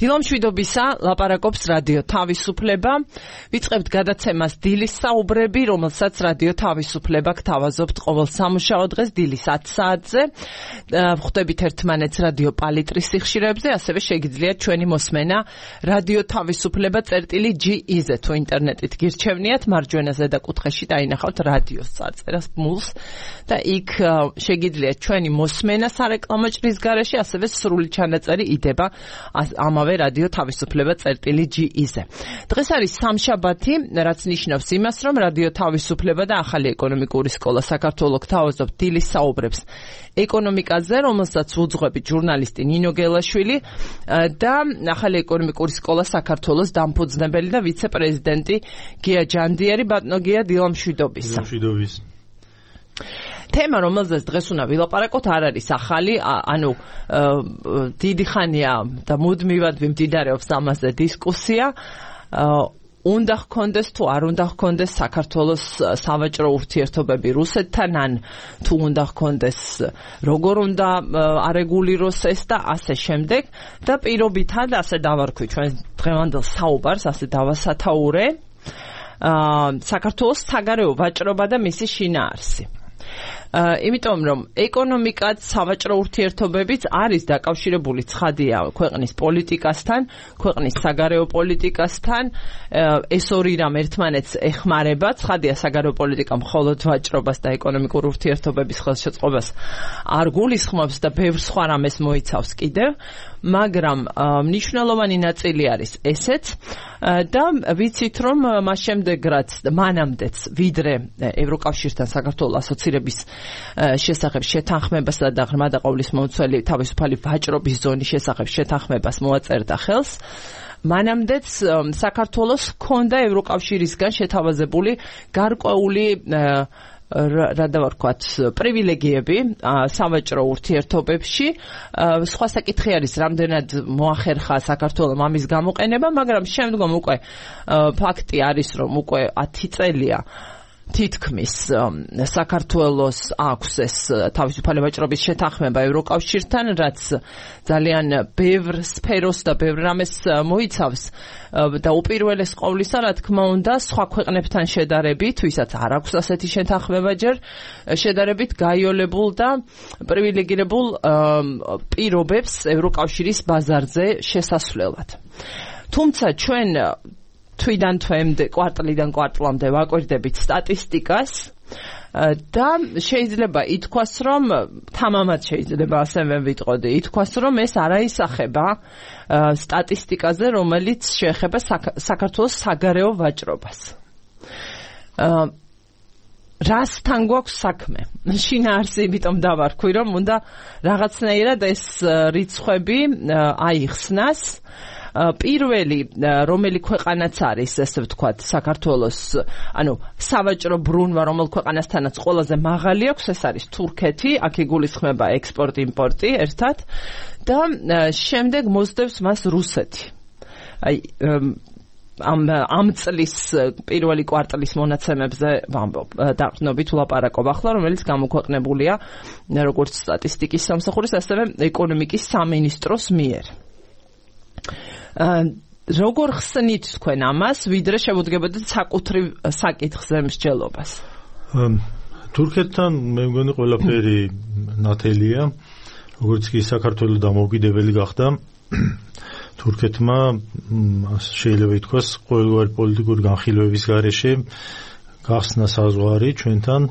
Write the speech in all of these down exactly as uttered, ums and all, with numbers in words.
დილამშვიდობისა, ლაპარაკობს რადიო თავისუფლება. ვიწყებთ გადაცემას დილის საუბრები, რომელსაც რადიო თავისუფლება გთავაზობთ ყოველ სამუშაო დღეს დილის ათ საათზე. ვხვდებით ერთმანეთს რადიო პალიტრის სიხშირეებზე, ასევე შეგიძლიათ ჩვენი მოსმენა რადიო თავისუფლება წერტილი ჯი ი-ზე თუ ინტერნეტით გირჩევნიათ, მარჯვენა ზედა კუთხეში დაინახავთ რადიოს წარწერას ბმულს და იქ შეგიძლიათ ჩვენი მოსმენა სარეკლამო ჭრის გარეშე, ასევე სრული ჩანაწერი იდება ამავე რადიო თავისუფლება წერტილი ჯი ი-ზე. დღეს არის სამშაბათი, რაც ნიშნავს იმას, რომ რადიო თავისუფლება და ახალი ეკონომიკური სკოლა საქართველოს გთავაზობთ დილის საუბრებს ეკონომიკაზე, რომელსაც უძღვებით ჟურნალისტი ნინო გელაშვილი და ახალი ეკონომიკური სკოლა საქართველოს დამფუძნებელი და ვიცე-პრეზიდენტი გია ჯანდიერი. ბატონო გია, დილამშვიდობისა. დილამშვიდობის. თემა, რომელზეც დღეს უნდა ვილაპარაკოთ, არ არის ახალი, ანუ დიდი ხანია და მუდმივად მიმდინარეობს ამაზე დისკუსია. უნდა ჰქონდეს თუ არ უნდა ჰქონდეს საქართველოს სავაჭრო ურთიერთობები რუსეთთან, ან თუ უნდა ჰქონდეს, როგორ უნდა არეგულიროს ეს და ასე შემდეგ. და პირობითად ასე დავარქვი ჩვენ დღევანდელ საუბარს, ასე დავასათაურე საქართველოს საგარეო ვაჭრობა და მისი შინაარსი. იმიტომ რომ ეკონომიკაც, სავაჭრო ურთიერთობებიც არის დაკავშირებული ცხადია ქვეყნის პოლიტიკასთან, ქვეყნის საგარეო პოლიტიკასთან. ეს ორი რამ ერთმანეთს ეხმარება. ცხადია, საგარეო პოლიტიკა მხოლოდ ვაჭრობას და ეკონომიკურ ურთიერთობების ხელშეწყობას არ გულისხმობს და ბევრ სხვა რამეს მოიცავს კიდევ, მაგრამ მნიშვნელოვანი ნაწილი არის ესეც და ვიცით რომ მას შემდეგ რაც მანამდეც ვიდრე ევროკავშირთან საქართველოს ასოცირების შესახებ შეთანხმებასა და ღრმა და ყოვლისმომცველი თავისუფალი ვაჭრობის ზონის შესახებ შეთანხმებას მოაწერდა ხელს, მანამდეც საქართველოს ჰქონდა ევროკავშირისგან შეთავაზებული გარკვეული რა დავარქვათ პრივილეგიები სავაჭრო ურთიერთობებში. სხვა საკითხი არის, რამდენად მოახერხა საქართველოს ამის გამოყენება, მაგრამ შემდგომ უკვე ფაქტი არის, რომ უკვე ათი წელია თითქმის საქართველოს აქვს ეს თავისუფალი ვაჭრობის შეთანხმება ევროკავშირთან, რაც ძალიან ბევრ სფეროს და ბევრ რამეს მოიცავს და უპირველეს ყოვლისა, რა თქმა უნდა, სხვა ქვეყნებთან შედარებით, ვისაც არ აქვს ასეთი შეთანხმება ჯერ, შედარებით გაიოლებულ და პრივილეგირებულ პირობებს ევროკავშირის ბაზარზე შესასვლელად. თუმცა ჩვენ თვიდან თვემდე, კვარტლიდან კვარტლამდე ვაკვირდებით სტატისტიკას და შეიძლება ითქვას, რომ თამამად შეიძლება ასევე ვიტყოდი, ითქვას, რომ ეს არ აისახება სტატისტიკაზე, რომელიც შეეხება საქართველოს საგარეო ვაჭრობას. რასთან გვაქვს საქმე? შინაარსი, იმიტომ დავარქვი, რომ უნდა რაღაცნაირად ეს რიცხვები აიხსნას. პირველი, რომელი ქვეყანაც არის, ესე ვთქვათ, საქართველოს, ანუ სავაჭრო ბრუნვა, რომელ ქვეყანასთანაც ყველაზე მაღალი აქვს, ეს არის თურქეთი, აქ იგულისხმება ექსპორტ-იმპორტი ერთად და შემდეგ მოსდევს მას რუსეთი. აი ამ ამ წლის პირველი კვარტლის მონაცემებზე ვამბობ, დაყრდნობით ვლაპარაკობ ახლა, რომელიც გამოქვეყნებულია როგორც სტატისტიკის სამსახურის, ასევე ეკონომიკის სამინისტროს მიერ. როგორ ხსნით თქვენ ამას, ვიდრე შევუდგებოდეთ საკუთრივ საკითხზე მსჯელობას? თურქეთთან მე მგონი ყველაფერი ნათელია, როგორც კი საქართველოს დამოუკიდებელი გახდა, თურქეთმა შეიძლება ითქვას ყოველგვარი პოლიტიკური განხილვების გარეშე გახსნა საზღვარი ჩვენთან,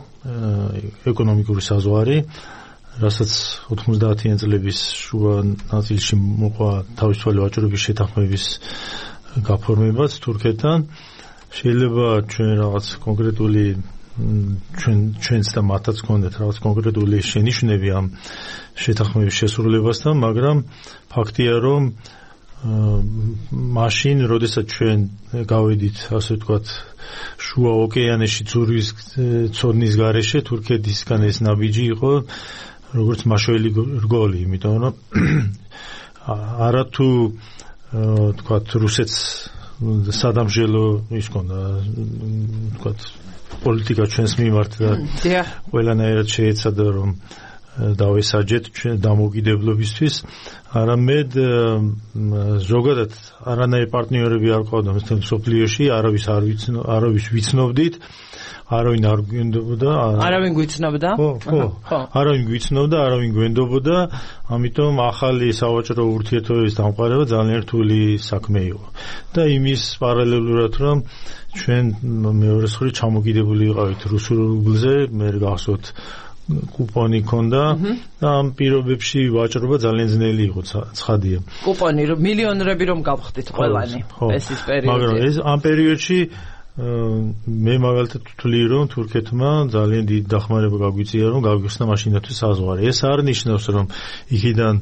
ეკონომიკური საზღვარი, რასაც ოთხმოცდაათიან წლების შუა ნაწილში მოყვა თავისუფალი ვაჭრობის შეთანხმების გაფორმებაც თურქეთთან. შეიძლება ჩვენ რაღაც კონკრეტული ჩვენ ჩვენც და მათაც გქონდეთ რაღაც კონკრეტული შენიშვნები ამ შეთანხმების შესრულებასთან, მაგრამ ფაქტია, რომ მაშინ, როდესაც ჩვენ გავედით, ასე ვთქვათ, შუა ოკეანეში ძურის ცოდნის გარეშე, თურქეთისგან ეს ნაბიჯი იყო როგორც მაშველი რგოლი, იმიტომ რომ არათუ თქვათ რუსეთს სადამჟელო ის ქონდა, თქვათ პოლიტიკა ჩვენს მიმართ და ყველანაირად შეეცადა რომ დავესაჯეთ ჩვენ დამოუკიდებლობისთვის, არამედ ზოგადად არანაირი პარტნიორები არ ყავდა მთელ მსოფლიოში, არავის არ ვიცნო, არავის ვიცნობდით, არავინ არ გვენდობოდა, არავინ გვიცნობდა? ხო, ხო, არავინ გვიცნობდა, არავინ გვენდობოდა, ამიტომ ახალი სავაჭრო ურთიერთობების დამყარება ძალიან რთული საქმე იყო. და იმის პარალელურად, რომ ჩვენ მეორე მხრივ ჩამოკიდებული ვიყავით რუსულ რუბლზე, მე გახსოვთ კუპონი ქონდა და ამ პირობებში ვაჭრობა ძალიან ძნელი იყო, ცხადია. კუპონი მილიონრები რომ გავხდით ყველანი ეს ის პერიოდი. მაგრამ ეს ამ პერიოდში მე მაგალითად ვთვლი, რომ თურქეთმა ძალიან დიდი დახმარება გაგვიწია, რომ გავიხსნა მაშინათვე საზღვარი. ეს არ ნიშნავს, რომ იქიდან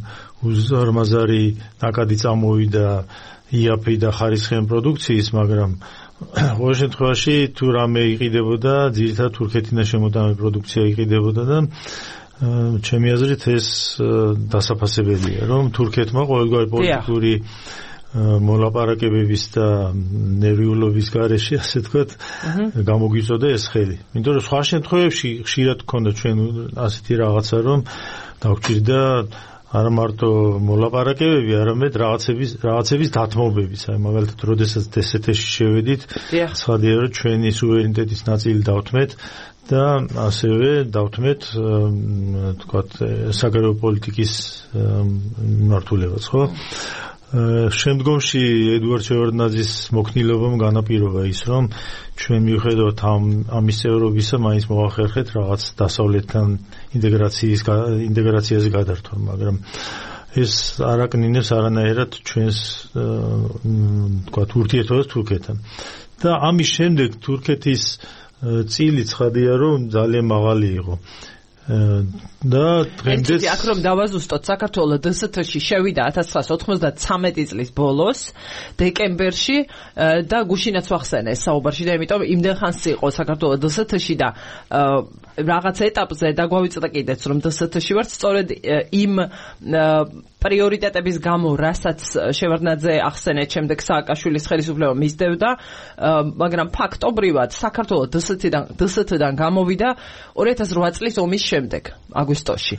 უზარმაზარი ნაკადი წამოვიდა იაფი და ხარისხიანი პროდუქციის, მაგრამ ყოველ შემთხვევაში თუ რამე იყიდებოდა, ძირითადად თურქეთიდან შემოტანილი პროდუქცია იყიდებოდა და ჩემი აზრით ეს დასაფასებელია, რომ თურქეთმა ყოველგვარი პოლიტიკური მოლაპარაკებების და ნერვიულობის გარეშე, ასე ვთქვათ, გამოგვიწოდა ეს ხელი. იმიტომ რომ სხვა შემთხვევებში ხშირად გქონდა ჩვენ ასეთი რაღაცა, რომ დაგვჭირდა არა მარტო მოლაპარაკებები, არამედ რაღაცების რაღაცების დათმობებიც. აი მაგალითად, როდესაც დსთ-ში შევედით, ცხადია, რომ ჩვენი სუვერენიტეტის ნაწილი დავთმეთ და ასევე დავთმეთ, ვთქვათ, საგარეო პოლიტიკის მმართველობაც, ხო? შემდგომში ედუარდ შევარდნაძის მოქნილობამ განაპირობა ის, რომ ჩვენ მიუხედავად ამ ამის წევრობისა, მაინც მოვახერხეთ რაღაც დასავლეთთან ინტეგრაციის ინტეგრაციაზე გადართვა, მაგრამ ეს არ აკნინებს არანაირად ჩვენს ვთქვათ ურთიერთობას თურქეთთან. და ამის შემდეგ თურქეთის წილი ცხადია, რომ ძალიან მაღალი იყო. და დღემდე აქ რომ დავაზუსტოთ, საქართველოს დსთ-ში შევიდა ათას ცხრაასი ოთხმოცდათრამეტი წლის ბოლოს დეკემბერში და გუშინაც ვახსენე საუბარში და იმიტომ იმდენ ხანს იყო საქართველოს დსთ-ში და რაღაც ეტაპზე დაგვავიწყდა კიდეც რომ დსთ-ში ვართ, სწორედ იმ პრიორიტეტების გამო, რასაც შევარდნაძე ახსენეთ, შემდეგ სააკაშვილის ხელისუფლება მისდევდა, მაგრამ ფაქტობრივად საქართველოს დსთ-დან დსთ-დან გამოვიდა ორი ათას რვა წლის ომის შემდეგ, აგვისტოში.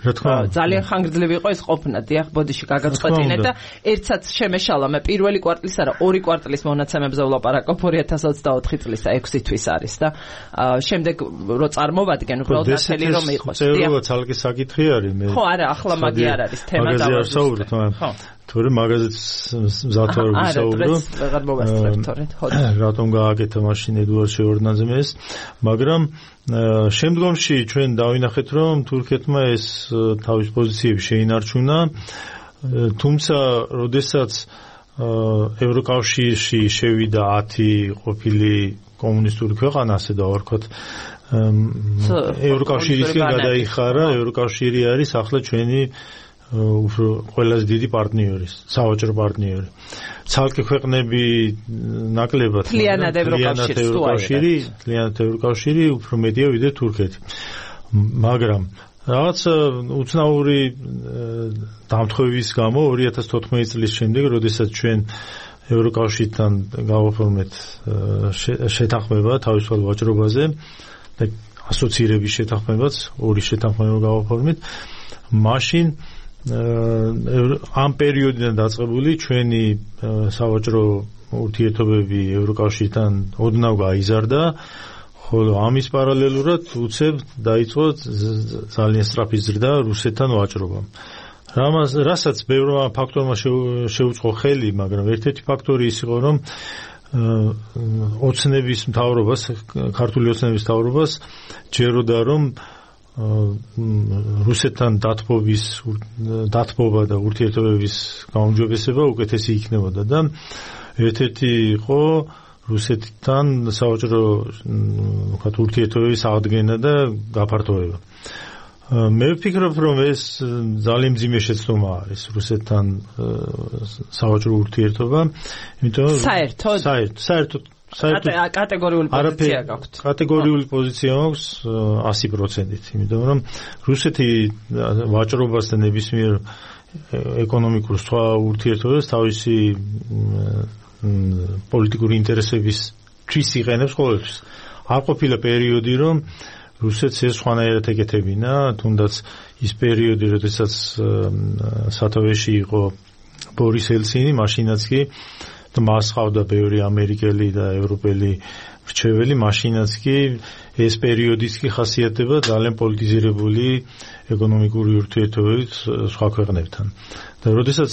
ძალიან ხანგრძლივი იყო ეს ყოფნა, დიახ, ბოდიში გაგაწყვეტინეთ და ერთსაც შემეშალა, მე პირველი კვარტლის არა, ორი კვარტლის მონაცემებზე ვლაპარაკობ, ორი ათას ოცდაოთხი წლის და ექვსი თვის არის და შემდეგ რო წარმოვადგენ, უბრალოდ ნათელი რომ იყოს. წერილობაც ალკი საკითხი არის მე. ხო, არა, ახლა მაგი არ არის თემა დავაზუსტეთ. ხო. თორე მაგაზეც მზათვარ ვისაუბრო. აღარ მოვასწრებთ თორედ. ხო. რატომ გააკეთა მაშინ ედუარდ შევარდნაძემ ეს, მაგრამ შემდგომში ჩვენ დავინახეთ, რომ თურქეთმა ეს თავის პოზიციები შეინარჩუნა, თუმცა როდესაც ევროკავშირში შევიდა ათი ყოფილი კომუნისტური ქვეყანა, ასე დავარქვათ, ევროკავშირისგან გადაიხარა, ევროკავშირი არის ახლა ჩვენი უფრო ყველაზე დიდი პარტნიორი, სავაჭრო პარტნიორი. ცალკე ქვეყნები ნაკლებად, მთლიანად ევროკავშირი, მთლიანად ევროკავშირი უფრო მეტია ვიდრე თურქეთი. მაგრამ რაღაც უცნაური დამთხოვების გამო ორი ათას თოთხმეტი წლის შემდეგ, როდესაც ჩვენ ევროკავშირთან გავაფორმეთ შეთანხმება თავისუფალ ვაჭრობაზე და ასოცირების შეთანხმებაც, ორი შეთანხმება გავაფორმეთ, მაშინ ამ პერიოდიდან დაწყებული ჩვენი სავაჭრო ურთიერთობები ევროკავშირთან ოდნავ გაიზარდა, ხოლო ამის პარალელურად უცებ დაიწყო ძალიან სწრაფი ზრდა რუსეთთან ვაჭრობამ. რამაც რასაც ბევრმა ფაქტორმა შეუწყო ხელი, მაგრამ ერთ-ერთი ფაქტორი ის იყო, რომ ოცნების მთავრობას, ქართული ოცნების მთავრობას ჯეროდა, რომ რუსეთთან დათბობის დათბობა და ურთიერთობების გაუმჯობესება უკეთესი იქნებოდა და ერთ-ერთი იყო რუსეთთან სავაჭრო ვთქვათ ურთიერთობების აღდგენა და გაფართოება. მე ვფიქრობ, რომ ეს ძალიან მძიმე შეცდომა არის რუსეთთან სავაჭრო ურთიერთობა, იმიტომ რომ საერთოდ საერთოდ საერთოდ კატეგორიული პოზიცია გაქვთ. კატეგორიული პოზიცია აქვს ასი პროცენტით, იმიტომ რომ რუსეთი ვაჭრობას და ნებისმიერ ეკონომიკურ სხვა ურთიერთობებს თავისი პოლიტიკური ინტერესების თვის იყენებს ყოველთვის. არ ყოფილა პერიოდი, რომ რუსეთს ეს სხვანაირად ეკეთებინა, თუნდაც ის პერიოდი, როდესაც სათავეში იყო ბორის ელცინი, მაშინაც კი მას ყავდა ბევრი ამერიკელი და ევროპელი რჩეველი, მაშინაც კი ეს პერიოდიც კი ხასიათდება ძალიან პოლიტიზირებული ეკონომიკური ურთიერთობებით სხვა ქვეყნებთან. და როდესაც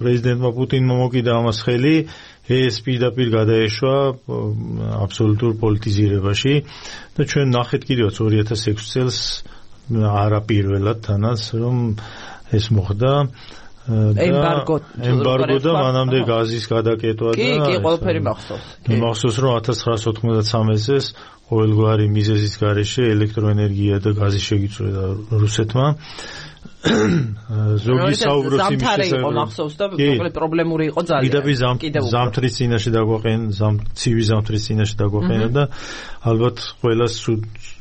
პრეზიდენტმა პუტინმა მოკიდა ამას ხელი, ეს პირდაპირ გადაეშვა აბსოლუტურ პოლიტიზირებაში და ჩვენ ნახეთ კიდევაც ორი ათას ექვსი წელს არაპირველად თანაც რომ ეს მოხდა ემბარგო ემბარგო და მანამდე გაზის გადაკეტვა და კი კი ყველაფერი მახსოვს. მახსოვს რომ ათას ცხრაასი ოთხმოცდამეცი წელს ყოველგვარი მიზეზის გარეშე ელექტროენერგია და გაზი შეგიწვევდა რუსეთმა. ზოგი საუბრობს იმის შესახებ, რომ მახსოვს და მოკლედ პრობლემური იყო ძალიან. კიდევ ზამთრის წინაშე დაგვაყენ, ცივი ზამთრის წინაშე დაგვაყენა და ალბათ ყველას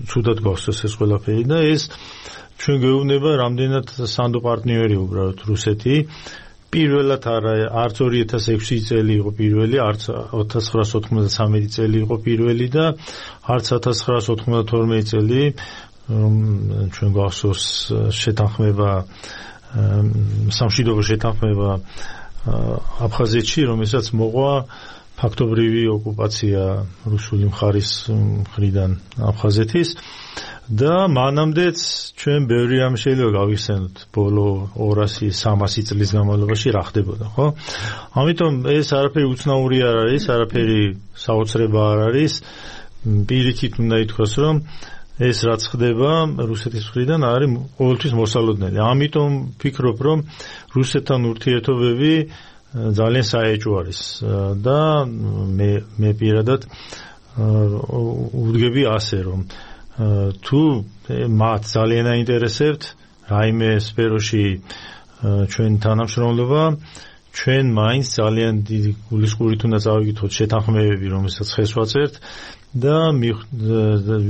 ცუდად გახსოვს ეს ყველაფერი და ეს ჩვენ გვეუბნება რამდენად სანდო პარტნიორი უბრალოდ რუსეთი. პირველად არა, არც ორი ათას ექვსი წელი იყო პირველი, არც ათას ცხრაასი ოთხმოცდამეცი წელი იყო პირველი და არც ათას ცხრაასი ოთხმოცდათორმეტი წელი ჩვენ გვახსოვს შეთანხმება სამშვიდობო შეთანხმება აფხაზეთში, რომელსაც მოყვა ფაქტობრივი ოკუპაცია რუსული მხარის მხრიდან აფხაზეთის და მანამდეც ჩვენ ბევრი რამ შეიძლება გავიხსენოთ ბოლო ორასი სამასი წლის განმავლობაში რა ხდებოდა, ხო? ამიტომ ეს არაფერი უცნაური არ არის, არაფერი საოცრება არ არის. პირიქით უნდა ითქვას, რომ ეს რაც ხდება რუსეთის მხრიდან არის ყოველთვის მოსალოდნელი. ამიტომ ვფიქრობ, რომ რუსეთთან ურთიერთობები ძალიან საეჭვო არის და მე მე პირადად ვუდგები ასე, რომ თუ მათ ძალიან აინტერესებთ რაიმე სფეროში ჩვენ თანამშრომლობა, ჩვენ მაინც ძალიან დიდი გულისყურით უნდა წავიკითხოთ შეთანხმებები, რომელსაც ხეს ვაწერთ და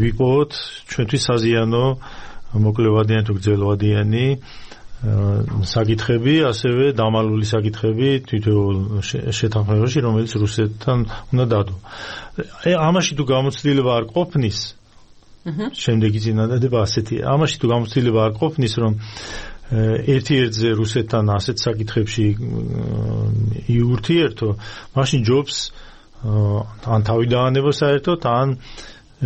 ვიპოვოთ ჩვენთვის საზიანო მოკლევადიანი თუ გრძელვადიანი საკითხები, ასევე დამალული საკითხები თითოეულ შეთანხმებაში, რომელიც რუსეთთან უნდა დადო. ამაში თუ გამოცდილება არ ყოფნის, შემდეგი წინადადება ასეთია. ამაში თუ გამოცდილება არ ყოფნის, რომ ერთ-ერთზე რუსეთთან ასეთ საკითხებში იურთიერთო, მაშინ ჯობს ან თავი დაანება საერთოდ, ან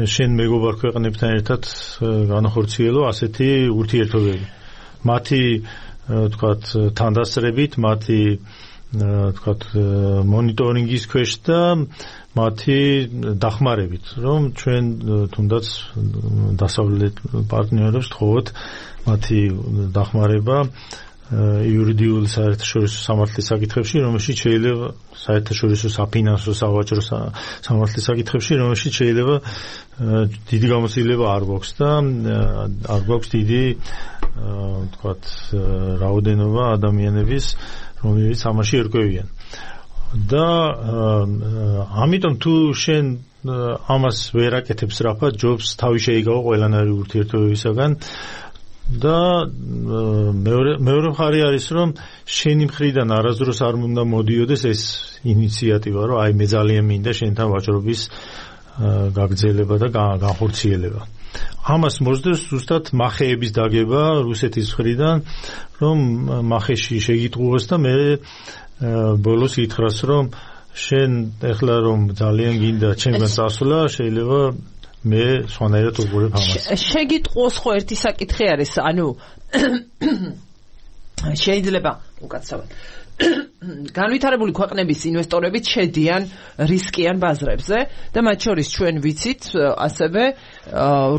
შენ მეგობარ ქვეყნებთან ერთად განახორციელო ასეთი ურთიერთობები. მათი თქვათ თანდასწრებით, მათი თქვათ მონიტორინგის ქვეშ და მათი დახმარებით, რომ ჩვენ თუნდაც დასავლეთ პარტნიორებს თხოვოთ მათი დახმარება იურიდიული საერთაშორისო სამართლის საკითხებში, რომელშიც შეიძლება საერთაშორისო საფინანსო სავაჭრო სამართლის საკითხებში, რომელშიც შეიძლება დიდი გამოცდილება არ გვაქვს და არ გვაქვს დიდი თქვათ რაოდენობა ადამიანების, რომლებიც ამაში ერკვევიან. და ამიტომ თუ შენ ამას ვერ აკეთებს რაფად, ჯობს თავი შეიგავო ყველანაირი ურთიერთობებისაგან და მეორე მეორე მხარე არის, რომ შენი მხრიდან არასდროს არ უნდა მოდიოდეს ეს ინიციატივა, რომ აი მე ძალიან მინდა შენთან ვაჭრობის გაგრძელება და განხორციელება. ამას მოსდევს ზუსტად მახეების დაგება რუსეთის მხრიდან, რომ მახეში შეგიტყუოს და მე ბოლოს ითხრას, რომ შენ ეხლა რომ ძალიან გინდა ჩემგან წასვლა, შეიძლება მე სხვანაირად უყურებ ამას. შეგიტყუოს ხო ერთი საკითხი არის, ანუ შეიძლება უკაცრავად განვითარებული ქვეყნების ინვესტორები შედიან რისკიან ბაზრებზე და მათ შორის ჩვენ ვიცით ასევე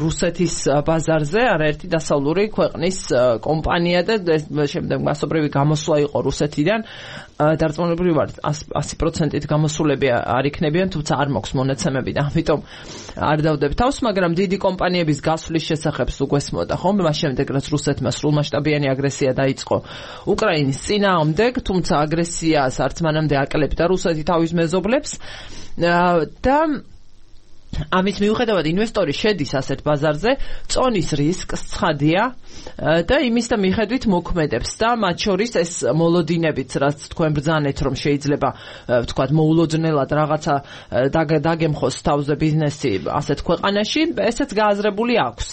რუსეთის ბაზარზე არაერთი დასავლური ქვეყნის კომპანია და შემდეგ მასობრივი გამოსვლა იყო რუსეთიდან დარწმუნებული ვარ ასი პროცენტით გამოსულები არ იქნებიან, თუმცა არ მოქვს მონაცემები და ამიტომ არ დავდებ თავს, მაგრამ დიდი კომპანიების გასვლის შესახებ უგვესმოდა ხომ, მას შემდეგ რაც რუსეთმა სრულმასშტაბიანი აგრესია დაიწყო უკრაინის წინააღმდეგ, თუმცა აგრესიას არც მანამდე აკლებდა რუსეთი თავის მეზობლებს და ამის მიუხედავად ინვესტორი შედის ასეთ ბაზარზე, წონის რისკს ცხადია და იმის და მიხედვით მოქმედებს და მათ შორის ეს მოლოდინებიც, რაც თქვენ ბრძანეთ, რომ შეიძლება ვთქვათ მოულოდნელად რაღაცა დაგემხოს თავზე ბიზნესი ასეთ ქვეყანაში, ესეც გააზრებული აქვს.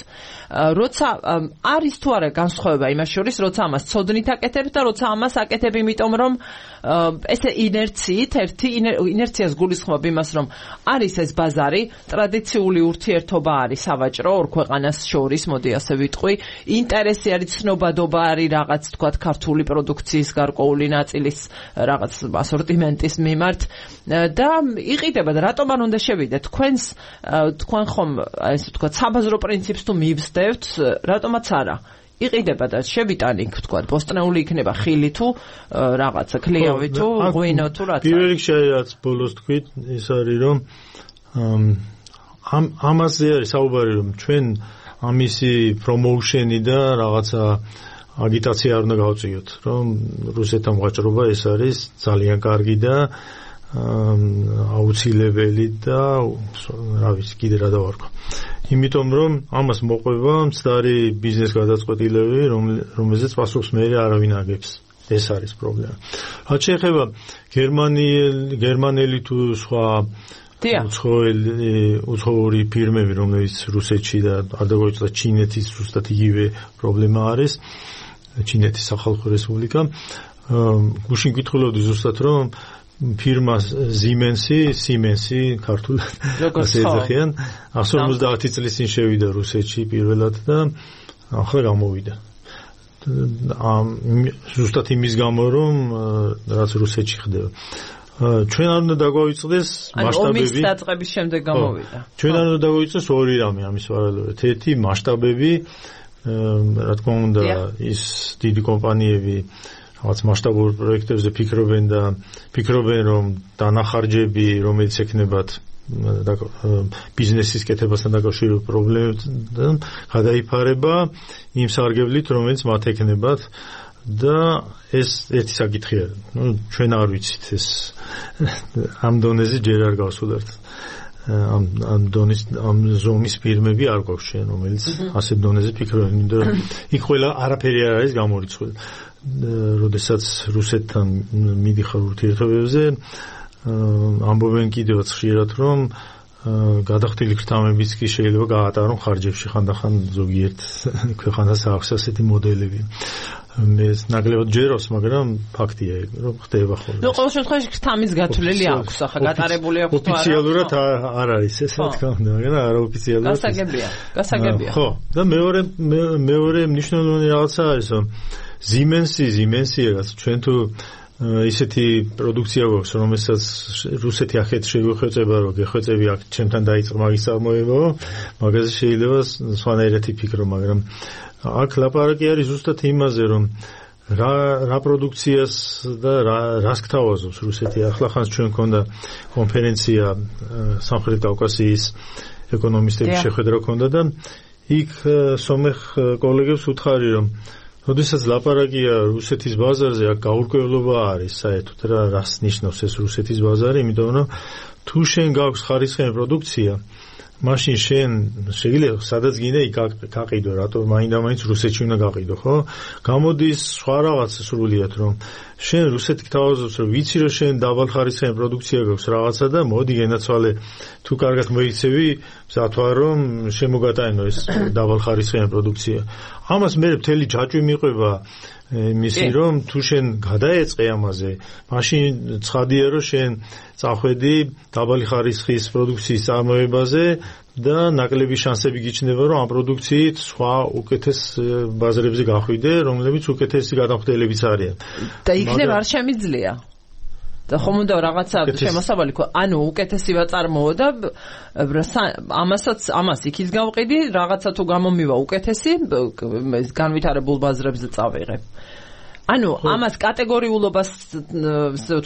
როცა არის თუ არა განსხვავება იმას შორის, როცა ამას ცოდნით აკეთებ და როცა ამას აკეთებ იმიტომ, რომ ესე ინერციით, ერთი ინერციას გულისხმობ იმას, რომ არის ეს ბაზარი, ტრადიციული ურთიერთობა არის სავაჭრო ორ ქვეყანას შორის, მოდი ასე ვიტყვი, ინტერესი არის, ცნობადობა არის რაღაც თქვათ ქართული პროდუქციის გარკვეული ნაწილის რაღაც ასორტიმენტის მიმართ და იყიდება და რატომ არ უნდა შევიდეთ თქვენს თქვენ ხომ ესე ვთქვათ საბაზრო პრინციპს თუ მივსდევთ, რატომაც არა იყიდება და შევიტანი ვთქვათ ბოსტნეული იქნება ხილი თუ რაღაცა ქლიავი თუ ღვინო თუ რაცა. პირველ რიგში რაც ბოლოს თქვით, ის არის რომ ამ ამაზე არის საუბარი, რომ ჩვენ ამისი პრომოუშენი და რაღაცა აგიტაცია არ უნდა გავწიოთ, რომ რუსეთთან ვაჭრობა ეს არის ძალიან კარგი და აუცილებელი და რა ვიცი კიდე რა დავარქვა. იმიტომ რომ ამას მოყვება მცდარი ბიზნეს გადაწყვეტილები, რომელზეც პასუხს მეერე არავინ აგებს. ეს არის პრობლემა. რაც შეეხება გერმანიელი გერმანელი თუ სხვა უცხოური ფირმები, რომელიც რუსეთში და არ დაგვეწყვეტ ჩინეთის ზუსტად იგივე პრობლემა არის, ჩინეთის სახალხო რესპუბლიკა. გუშინ გითხულობდი ზუსტად რომ ფირმა Siemens-ი, Siemens-ი ქართულად ასე ეძახიან, εκατόν ორმოცდაათი წლის წინ შევიდა რუსეთში პირველად და ახლა გამოვიდა. ზუსტად იმის გამო რომ რაც რუსეთში ხდება. ჩვენ არ უნდა დაგვაიწყდეს მასშტაბები. ომის დაწყების შემდეგ გამოვიდა. ჩვენ არ უნდა დაგვაიწყდეს ორი რამე ამის პარალელურად. ერთი მასშტაბები, რა თქმა უნდა, ის დიდი კომპანიები რაღაც მასშტაბურ პროექტებზე ფიქრობენ და ფიქრობენ რომ დანახარჯები, რომელიც ექნებათ ბიზნესის კეთებასთან დაკავშირებულ პრობლემებთან გადაიფარება იმ სარგებლით, რომელიც მათ ექნებათ და ეს ერთი საკითხი არის. ნუ ჩვენ არ ვიცით ეს ამ დონეზე ჯერ არ გავსულართ. ამ ამ დონის ამ ზომის ფირმები არ გვაქვს ჩვენ, რომელიც ასეთ დონეზე ფიქრობენ, იმიტომ რომ იქ ყველა არაფერი არ არის გამორიცხული. როდესაც რუსეთთან მიდიხარ ურთიერთობებზე, ამბობენ კიდევაც ხშირად, რომ გადახდილი ქრთამებიც კი შეიძლება გაატარონ ხარჯებში, ხანდახან ზოგიერთ ქვეყანას აქვს ასეთი მოდელები. მე ნაკლებად ჯეროს, მაგრამ ფაქტია, რომ ხდება ხოლმე. ნუ ყოველ შემთხვევაში ქრთამის გათვლილი აქვს, ახლა გატარებული აქვს თუ არა. ოფიციალურად არ არის ეს, რა თქმა უნდა, მაგრამ არაოფიციალურად. გასაგებია, გასაგებია. ხო, და მეორე მეორე მნიშვნელოვანი რაღაცა არის, რომ Siemens-ი, Siemens-ი რაღაც ჩვენ თუ ისეთი პროდუქცია გვაქვს, რომელსაც რუსეთი ახეთ შეგვეხვეწება, რომ გეხვეწები აქ ჩემთან დაიწყო მაგის წარმოება, მაგაზე შეიძლება სხვანაირად იფიქრო, მაგრამ აქ ლაპარაკი არის ზუსტად იმაზე, რომ რა რა პროდუქციას და რა რას გთავაზობს რუსეთი. ახლახანს ჩვენ გქონდა კონფერენცია სამხრეთ კავკასიის ეკონომისტების შეხვედრა გქონდა და იქ სომეხ კოლეგებს უთხარი, რომ როდესაც ლაპარაკია რუსეთის ბაზარზე, აქ გაურკვევლობა არის საერთოდ რა რას ნიშნავს ეს რუსეთის ბაზარი, იმიტომ რომ თუ შენ გაქვს ხარისხიანი პროდუქცია, მაშინ შენ შეიძლება სადაც გინდა იქ გაყიდო, რატომ მაინდა-მაინც რუსეთში უნდა გაყიდო, ხო? გამოდის სხვა რაღაც სრულიად, რომ შენ რუსეთი გთავაზობს, რომ ვიცი რომ შენ დაბალხარისხიანი პროდუქცია გაქვს რაღაცა და მოდი გენაცვალე, თუ კარგად მოიქცევი, მზად ვარ რომ შემოგატანო ეს დაბალხარისხიანი პროდუქცია. ამას მე მთელი ჯაჭვი მიყვება იმისი, რომ თუ შენ გადაეწყე ამაზე, მაშინ ცხადია რომ შენ წახვედი დაბალი ხარისხის პროდუქციის წარმოებაზე და ნაკლები შანსები გიჩნდება, რომ ამ პროდუქციით სხვა უკეთეს ბაზრებზე გახვიდე, რომლებიც უკეთესი გადამხდელებიც არიან. და იქნებ არ შემიძლია. და ხომ უნდა რაღაცა შემოსავალი ხო, ანუ უკეთესი ვაწარმოო და ამასაც ამას იქის გავყიდი, რაღაცა თუ გამომივა უკეთესი, განვითარებულ ბაზრებზე წავიღებ. ანუ ამას კატეგორიულობას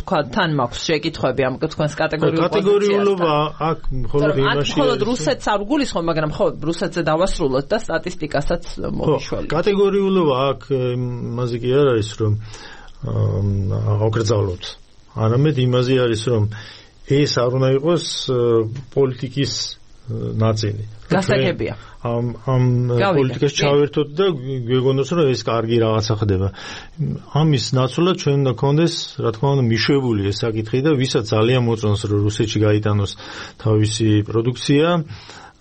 თქვა თან მაქვს შეკითხვები ამ თქვენს კატეგორიულ პოზიციასთან. კატეგორიულობა აქ მხოლოდ იმაში. მხოლოდ რუსეთს არ გულისხმობ, მაგრამ ხო რუსეთზე დავასრულოთ და სტატისტიკასაც მოვიშველით. კატეგორიულობა აქ იმაზე კი არ არის, რომ აღგრძალოთ. არამედ იმაზე არის, რომ ეს არ უნდა იყოს პოლიტიკის ნაწილი. გასაგებია. ამ ამ პოლიტიკას ჩავერთოთ და გვეგონოს რომ ეს კარგი რაღაცა ხდება. ამის ნაცვლად ჩვენ უნდა გქონდეს, რა თქმა უნდა, მიშვებული ეს საკითხი და ვისაც ძალიან მოწონს რომ რუსეთში გაიტანოს თავისი პროდუქცია,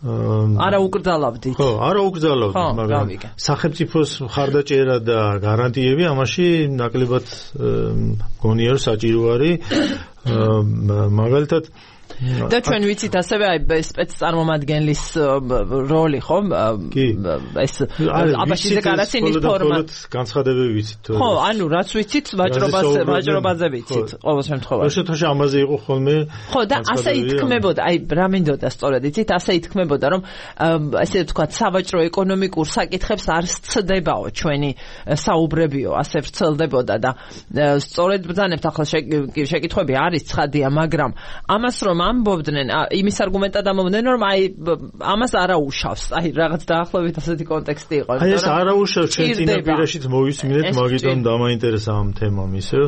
არა უკრძალავდით. ხო, არა უკრძალავდით, მაგრამ სახელმწიფოს მხარდაჭერა და გარანტიები ამაში ნაკლებად მგონია რომ საჭირო არის. მაგალითად და ჩვენ ვიცით ასევე აი სპეცწარმომადგენლის როლი ხო ეს აბაშის დეკლარაციის ფორმა განცხადებები ვიცით ხო ანუ რაც ვიცით ვაჭრობას ვაჭრობაზე ვიცით ყოველ შემთხვევაში შესაძლოა ამაზე იყო ხოლმე ხო და ასე ითქმებოდა აი რა მინდოდა სწორედ იცით ასე ითქმებოდა რომ ესე ვთქვათ სავაჭრო ეკონომიკურ საკითხებს არ სცდებაო ჩვენი საუბრებიო ასე ვრცელდებოდა და სწორედ ბრძანებთ ახლა შეკითხვები არის ცხადია მაგრამ ამას რომ ამბობდნენ იმის არგუმენტად ამბობდნენ რომ აი ამას არაუშავს აი რაღაც დაახლოებით ასეთი კონტექსტი იყო აი ეს არაუშავს ჩვენ წინაპირაშიც მოვისმინეთ მაგიტომ დამაინტერესა ამ თემამ ისე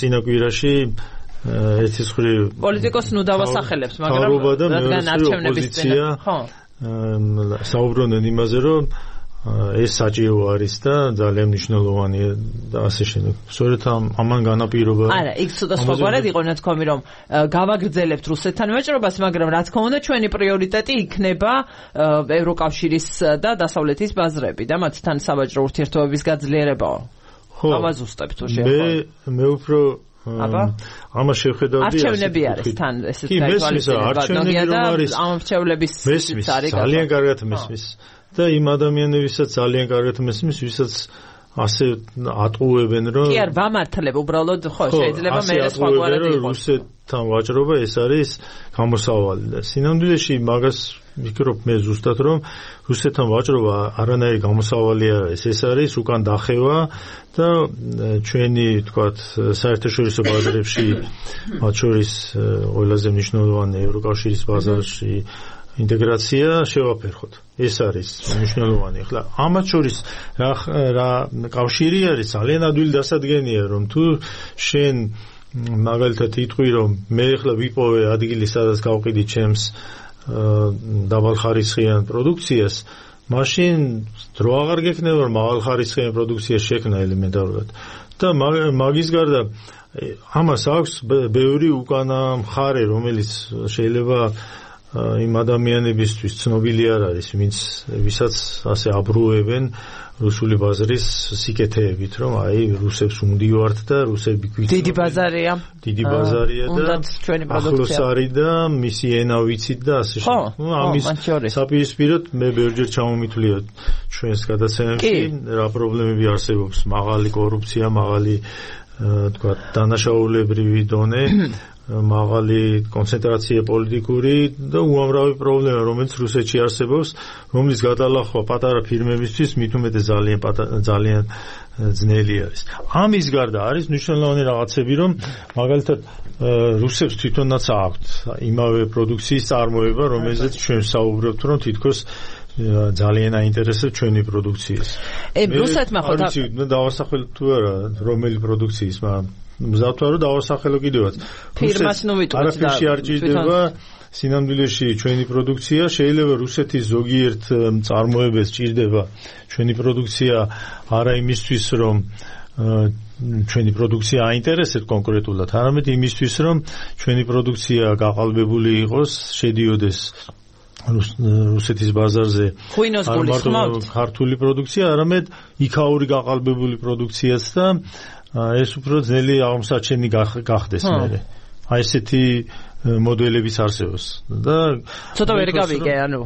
წინაპირაში ერთის ხრი პოლიტიკოს ნუ დავასახელებს მაგრამ რადგან არჩევნების წინ ხო საუბრობდნენ იმაზე რომ ეს საჭირო არის და ძალიან მნიშვნელოვანია და ასე შემდეგ. სწორედ ამან განაპირობა. არა, იქ ცოტა სხვაგვარად იყო ნათქვამი რომ გავაგრძელებთ რუსეთთან ვაჭრობას, მაგრამ რა თქმა უნდა ჩვენი პრიორიტეტი იქნება ევროკავშირის და დასავლეთის ბაზრები და მათთან სავაჭრო ურთიერთობების გაძლიერებაო. ხო. ავაზუსტებთ თუ მე მე უფრო აბა ამას შევხედავდი არჩევნები არის თან ესეთ გაითვალისწინებაა და ამ არჩევნების არის ძალიან კარგად მესმის. და იმ ადამიანებისაც ძალიან კარგად მესმის, ვისაც ასე ატყუებენ რომ კი არ ვამართლებ უბრალოდ ხო შეიძლება მე სხვაგვარად იყოს რუსეთთან ვაჭრობა ეს არის გამოსავალი და სინამდვილეში მაგას ვფიქრობ მე ზუსტად რომ რუსეთთან ვაჭრობა არანაირი გამოსავალი არ არის ეს არის უკან დახევა და ჩვენი თქვათ საერთაშორისო ბაზრებში მათ შორის ყველაზე მნიშვნელოვანი ევროკავშირის ბაზარში ინტეგრაცია შევაფერხოთ. ეს არის მნიშვნელოვანი. ახლა ამათ შორის რა რა კავშირი არის ძალიან ადვილი დასადგენია რომ თუ შენ მაგალითად იტყვი რომ მე ახლა ვიპოვე ადგილი სადაც გავყიდი ჩემს დაბალხარისხიან პროდუქციას მაშინ დრო აღარ გექნება რომ მაღალხარისხიან პროდუქციას შექმნა ელემენტარულად და მაგის გარდა ამას აქვს ბევრი უკანა მხარე რომელიც შეიძლება იმ ადამიანებისთვის ცნობილი არ არის, ვინც ვისაც ასე აბრუებენ რუსული ბაზრის სიკეთეებით, რომ აი რუსებს უნდივართ და რუსები გვიწევენ. დიდი ბაზარია. დიდი ბაზარია და ახლოს არის და მისი ენა ვიცით და ასე შემდეგ. ნუ ამის საპირისპიროდ მე ბევრჯერ ჩამომითვლია ჩვენს გადაცემებში რა პრობლემები არსებობს, მაღალი კორუფცია, მაღალი თქვა დანაშაულებრივი დონე მაღალი კონცენტრაცია პოლიტიკური და უამრავი პრობლემა, რომელიც რუსეთში არსებობს, რომლის გადალახვა პატარა ფირმებისთვის მით უმეტეს ძალიან ძალიან ძნელი არის. ამის გარდა არის მნიშვნელოვანი რაღაცები, რომ მაგალითად რუსებს თვითონაც აქვთ იმავე პროდუქციის წარმოება, რომელზეც ჩვენ საუბრობთ, რომ თითქოს ძალიან აინტერესებს ჩვენი პროდუქციის. ე რუსეთმა ხო დავასახელ თუ არა რომელი პროდუქციის, მაგრამ მზადვა რომ დავასახელო კიდევაც. ფირმას ნუ ვიტყვით და არაფერში არ ჭირდება სინამდვილეში ჩვენი პროდუქცია, შეიძლება რუსეთის ზოგიერთ წარმოებებს ჭირდება ჩვენი პროდუქცია არა იმისთვის რომ ჩვენი პროდუქცია აინტერესებს კონკრეტულად, არამედ იმისთვის რომ ჩვენი პროდუქცია გაყალბებული იყოს, შედიოდეს რუსეთის ბაზარზე ღვინოს გულისხმობთ ქართული პროდუქცია, არამედ იქაური გაყალბებული პროდუქციაც და ეს უფრო ძნელი აღმოსაჩენი გახდეს მერე. აი ესეთი მოდელებიც არსებობს და ცოტა ვერ გავიგე ანუ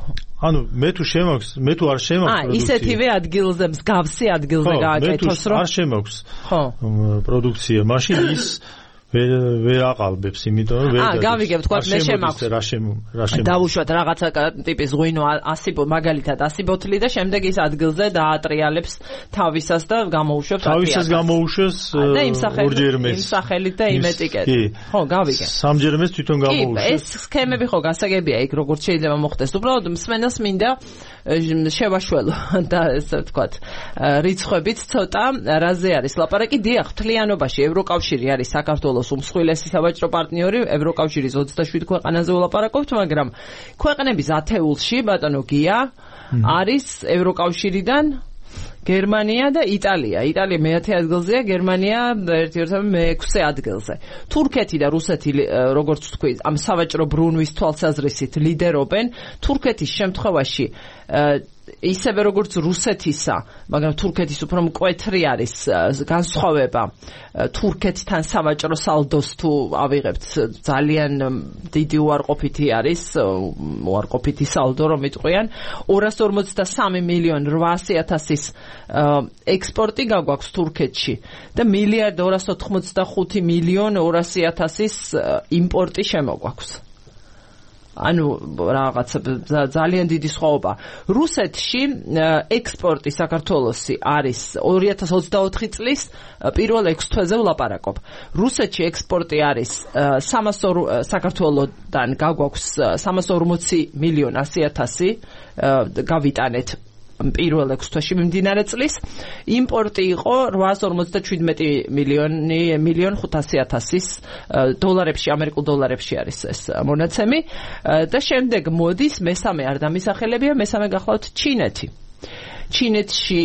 ანუ მე თუ შემოქვს მე თუ არ შემოქვს პროდუქცია. აა ისეთივე ადგილზე მსგავსი ადგილზე გააკეთოს რომ არ შემოქვს ხო პროდუქცია, მაშინ ის ვერ აყალბებს, იმიტომ რომ ვერ აა გავიგებ, თქვა მე შემაქვს რა შემო რა შემო დავუშვათ რაღაცა ტიპის ღვინო ასი მაგალითად ასი ბოთლი და შემდეგ ის ადგილზე დაატრიალებს თავისას და გამოუშვებს თავისას გამოუშვეს ორჯერ მეც იმ სახელით და იმ ეტიკეტით ხო გავიგე სამჯერ მეც თვითონ გამოუშვეს ეს სქემები ხო გასაგებია იქ როგორც შეიძლება მოხდეს უბრალოდ მსმენელს მინდა შევაშველო და ესე ვთქვათ რიცხვებით ცოტა რაზე არის ლაპარაკი დიახ მთლიანობაში ევროკავშირი არის საქართველოს საქართველოს უმსხვილესი საბაჭრო პარტნიორი, ევროკავშირის ოცდაშვიდ ქვეყანაზე ვლაპარაკობთ, მაგრამ ქვეყნების ათეულში, ბატონო გია, არის ევროკავშირიდან გერმანია და იტალია. იტალია მეათე ადგილზეა, გერმანია ერთ-ერთად მეექვსე ადგილზე. თურქეთი და რუსეთი, როგორც თქვი, ამ სავაჭრო ბრუნვის თვალსაზრისით ლიდერობენ. თურქეთის შემთხვევაში ისევე როგორც რუსეთისა, მაგრამ თურქეთის უფრო მკვეთრი არის განსხვავება თურქეთთან სავაჭრო სალდოს თუ ავიღებთ ძალიან დიდი უარყოფითი არის უარყოფითი სალდო რომ იტყვიან ორას ორმოცდასამი მილიონი რვაასი ათასის ექსპორტი გაგვაქვს თურქეთში და მილიარდ ორას ოთხმოცდახუთი მილიონი ორასი ათასის იმპორტი შემოგვაქვს. ანუ რაღაცა ძალიან დიდი სხვაობა. რუსეთში ექსპორტი საქართველოსი არის ორი ათას ოცდაოთხი წლის პირველ ექვს თვეზე ვლაპარაკობ. რუსეთში ექსპორტი არის სამასო საქართველოსთან გაგვაქვს სამას ორმოცი მილიონი ასი ათასი გავიტანეთ პირველ ექვს თვეში მიმდინარე წლის. იმპორტი იყო რვაას ორმოცდაშვიდმეტი მილიონი მილიონ ხუთასი ათასის დოლარებში, ამერიკულ დოლარებში არის ეს მონაცემი და შემდეგ მოდის მესამე არ დამისახელებია, მესამე გახლავთ ჩინეთი. ჩინეთში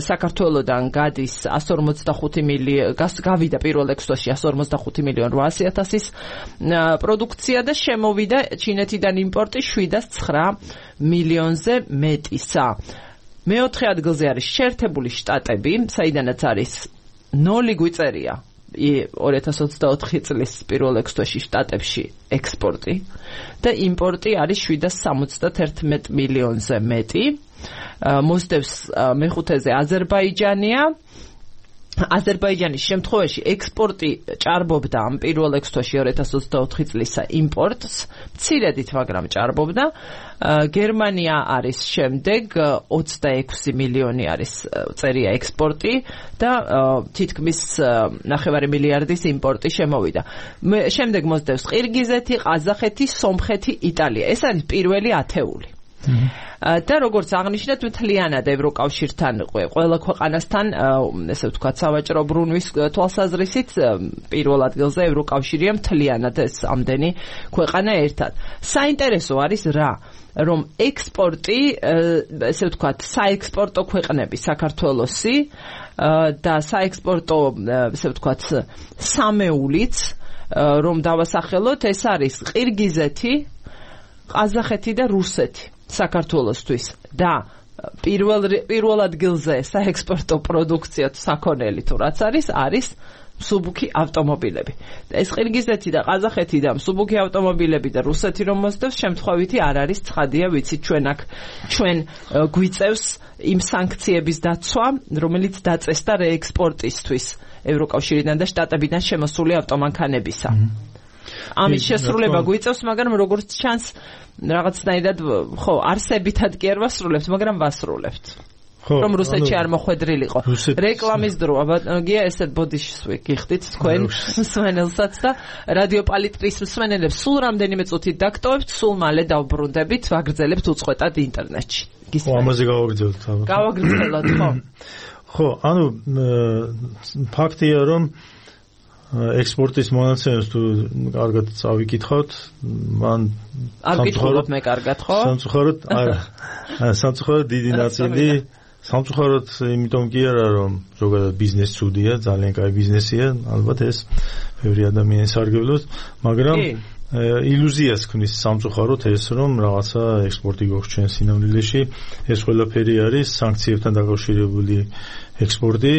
საქართველოსთან გადის ასი ორმოცდახუთი მილიონი, გავიდა პირველ ექვს თვეში ასი ორმოცდახუთი მილიონი რვაასი ათასის პროდუქცია და შემოვიდა ჩინეთიდან იმპორტი შვიდას ცხრა მილიონზე მეტისა. მეოთხე ადგილზე არის შეერთებული შტატები, საიდანაც არის ნული გვიწერია ორი ათას ოცდაოთხი წლის პირველ ექვს თვეში შტატებში ექსპორტი და იმპორტი არის შვიდას სამოცდაერთმეტ მილიონზე მეტი. მოსდევს მეხუთეზე აზერბაიჯანია. აზერბაიჯანის შემთხვევაში ექსპორტი ჭარბობდა ამ პირველ ექვს თვეში ორი ათას ოცდაოთხი წლისა იმპორტს, მცირედით, მაგრამ ჭარბობდა. გერმანია არის შემდეგ ოცდაექვსი მილიონი არის წერია ექსპორტი და თითქმის ნახევარი მილიარდის იმპორტი შემოვიდა. შემდეგ მოსდევს ყირგიზეთი, ყაზახეთი, სომხეთი, იტალია. ეს არის პირველი ათეული. და როგორც აღნიშნეთ, მთლიანად ევროკავშირთან ყველა ქვეყანასთან, ესე ვთქვათ, სავაჭრო ბრუნვის თვალსაზრისით პირველ ადგილზე ევროკავშირია მთლიანად ეს ამდენი ქვეყანა ერთად. საინტერესო არის რა, რომ ექსპორტი, ესე ვთქვათ, საექსპორტო ქვეყნები საქართველოსი და საექსპორტო, ესე ვთქვათ, სამეულიც, რომ დავასახელოთ, ეს არის ყირგიზეთი, ყაზახეთი და რუსეთი. საქართველოსთვის და პირველ პირველ ადგილზე საექსპორტო პროდუქცია საქონელი თუ რაც არის არის მსუბუქი ავტომობილები. ეს ყირგიზეთი და ყაზახეთი და მსუბუქი ავტომობილები და რუსეთი რომ მოსდევს შემთხვევითი არ არის ცხადია, ვიცით ჩვენ აქ ჩვენ გვიწევს იმ სანქციების დაცვა, რომელიც დაწესდა რეექსპორტისთვის ევროკავშირიდან და შტატებიდან შემოსული ავტომანქანებისა. ამის შესრულება გვიწევს, მაგრამ როგორც ჩანს რაღაცნაირად ხო არსებითად კი არ ვასრულებთ, მაგრამ ვასრულებთ. რომ რუსეთში არ მოხვედრილიყო. რეკლამის დროა, ბატონო, ესეთ ბოდიშს ვიგიხდით თქვენ მსმენელსაც და რადიო პალიტრის მსმენელებს სულ რამდენიმე წუთით დაგტოვებთ, სულ მალე დავბრუნდებით, ვაგრძელებთ უწყვეტად ინტერნეტში. ხო, ამაზე გავაგრძელოთ. გავაგრძელოთ, ხო. ხო, ანუ ფაქტია, რომ ექსპორტის მონაცემებს თუ კარგად წავიკითხავთ, მან სამწუხაროდ მე კარგად ხო? სამწუხაროდ არა. სამწუხაროდ დიდი ნაწილი, სამწუხაროდ იმიტომ კი არა, რომ ზოგადად ბიზნეს ცუდია, ძალიან კაი ბიზნესია, ალბათ ეს ბევრი ადამიანს სარგებლობს, მაგრამ ილუზიას ქმნის სამწუხაროდ ეს, რომ რაღაცა ექსპორტი გვაქვს ჩვენ სინამდვილეში, ეს ყველაფერი არის სანქციებთან დაკავშირებული ექსპორტი.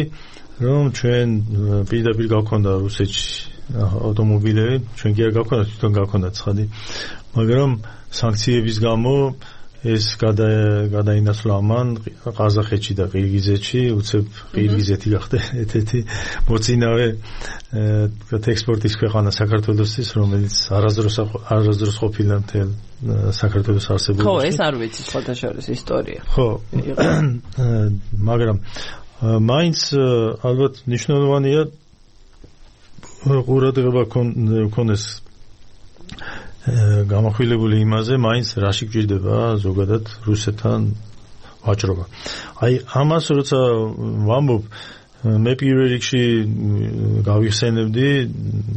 რომ ჩვენ პირდაპირ გავქონდა რუსეთში ავტომობილები, ჩვენ კი არ გავქონდა, თვითონ გავქონდა ცხადი, მაგრამ სანქციების გამო ეს გადაინაცვლა ამან ყაზახეთში და ყირგიზეთში, უცებ ყირგიზეთი გახდა ერთ-ერთი მოწინავე ექსპორტის ქვეყანა საქართველოსთვის, რომელიც არასდროს არასდროს ყოფილა მთელ საქართველოს არსებობაში. ხო, ეს არ ვიცი სხვადასხვა ისტორია. ხო, მაგრამ მაინც ალბათ ნიშნულოვანია ყურადღება ქონდეს გამახვილებული იმაზე, მაინც რაში გჭირდება ზოგადად რუსეთთან ვაჭრობა. აი ამას როცა ვამბობ, მე პირველ რიგში გავიხსენებდი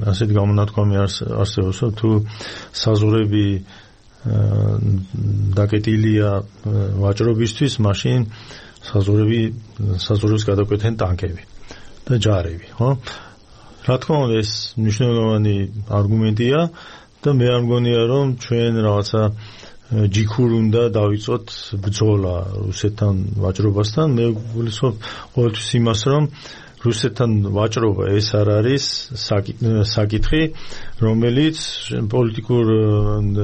ასეთ გამონათქვამი არსებობს, თუ საზღვრები დაკეტილია ვაჭრობისთვის, მაშინ საზღვრები საზღვრებს გადაკვეთენ ტანკები და ჯარები, ხო? რა თქმა უნდა, ეს მნიშვნელოვანი არგუმენტია და მე არ მგონია, რომ ჩვენ რაღაცა ჯიქურ უნდა დავიწყოთ ბრძოლა რუსეთთან ვაჭრობასთან. მე გულისხმობ ყოველთვის იმას, რომ რუსეთთან ვაჭრობა ეს არ არის საკითხი, რომელიც პოლიტიკურ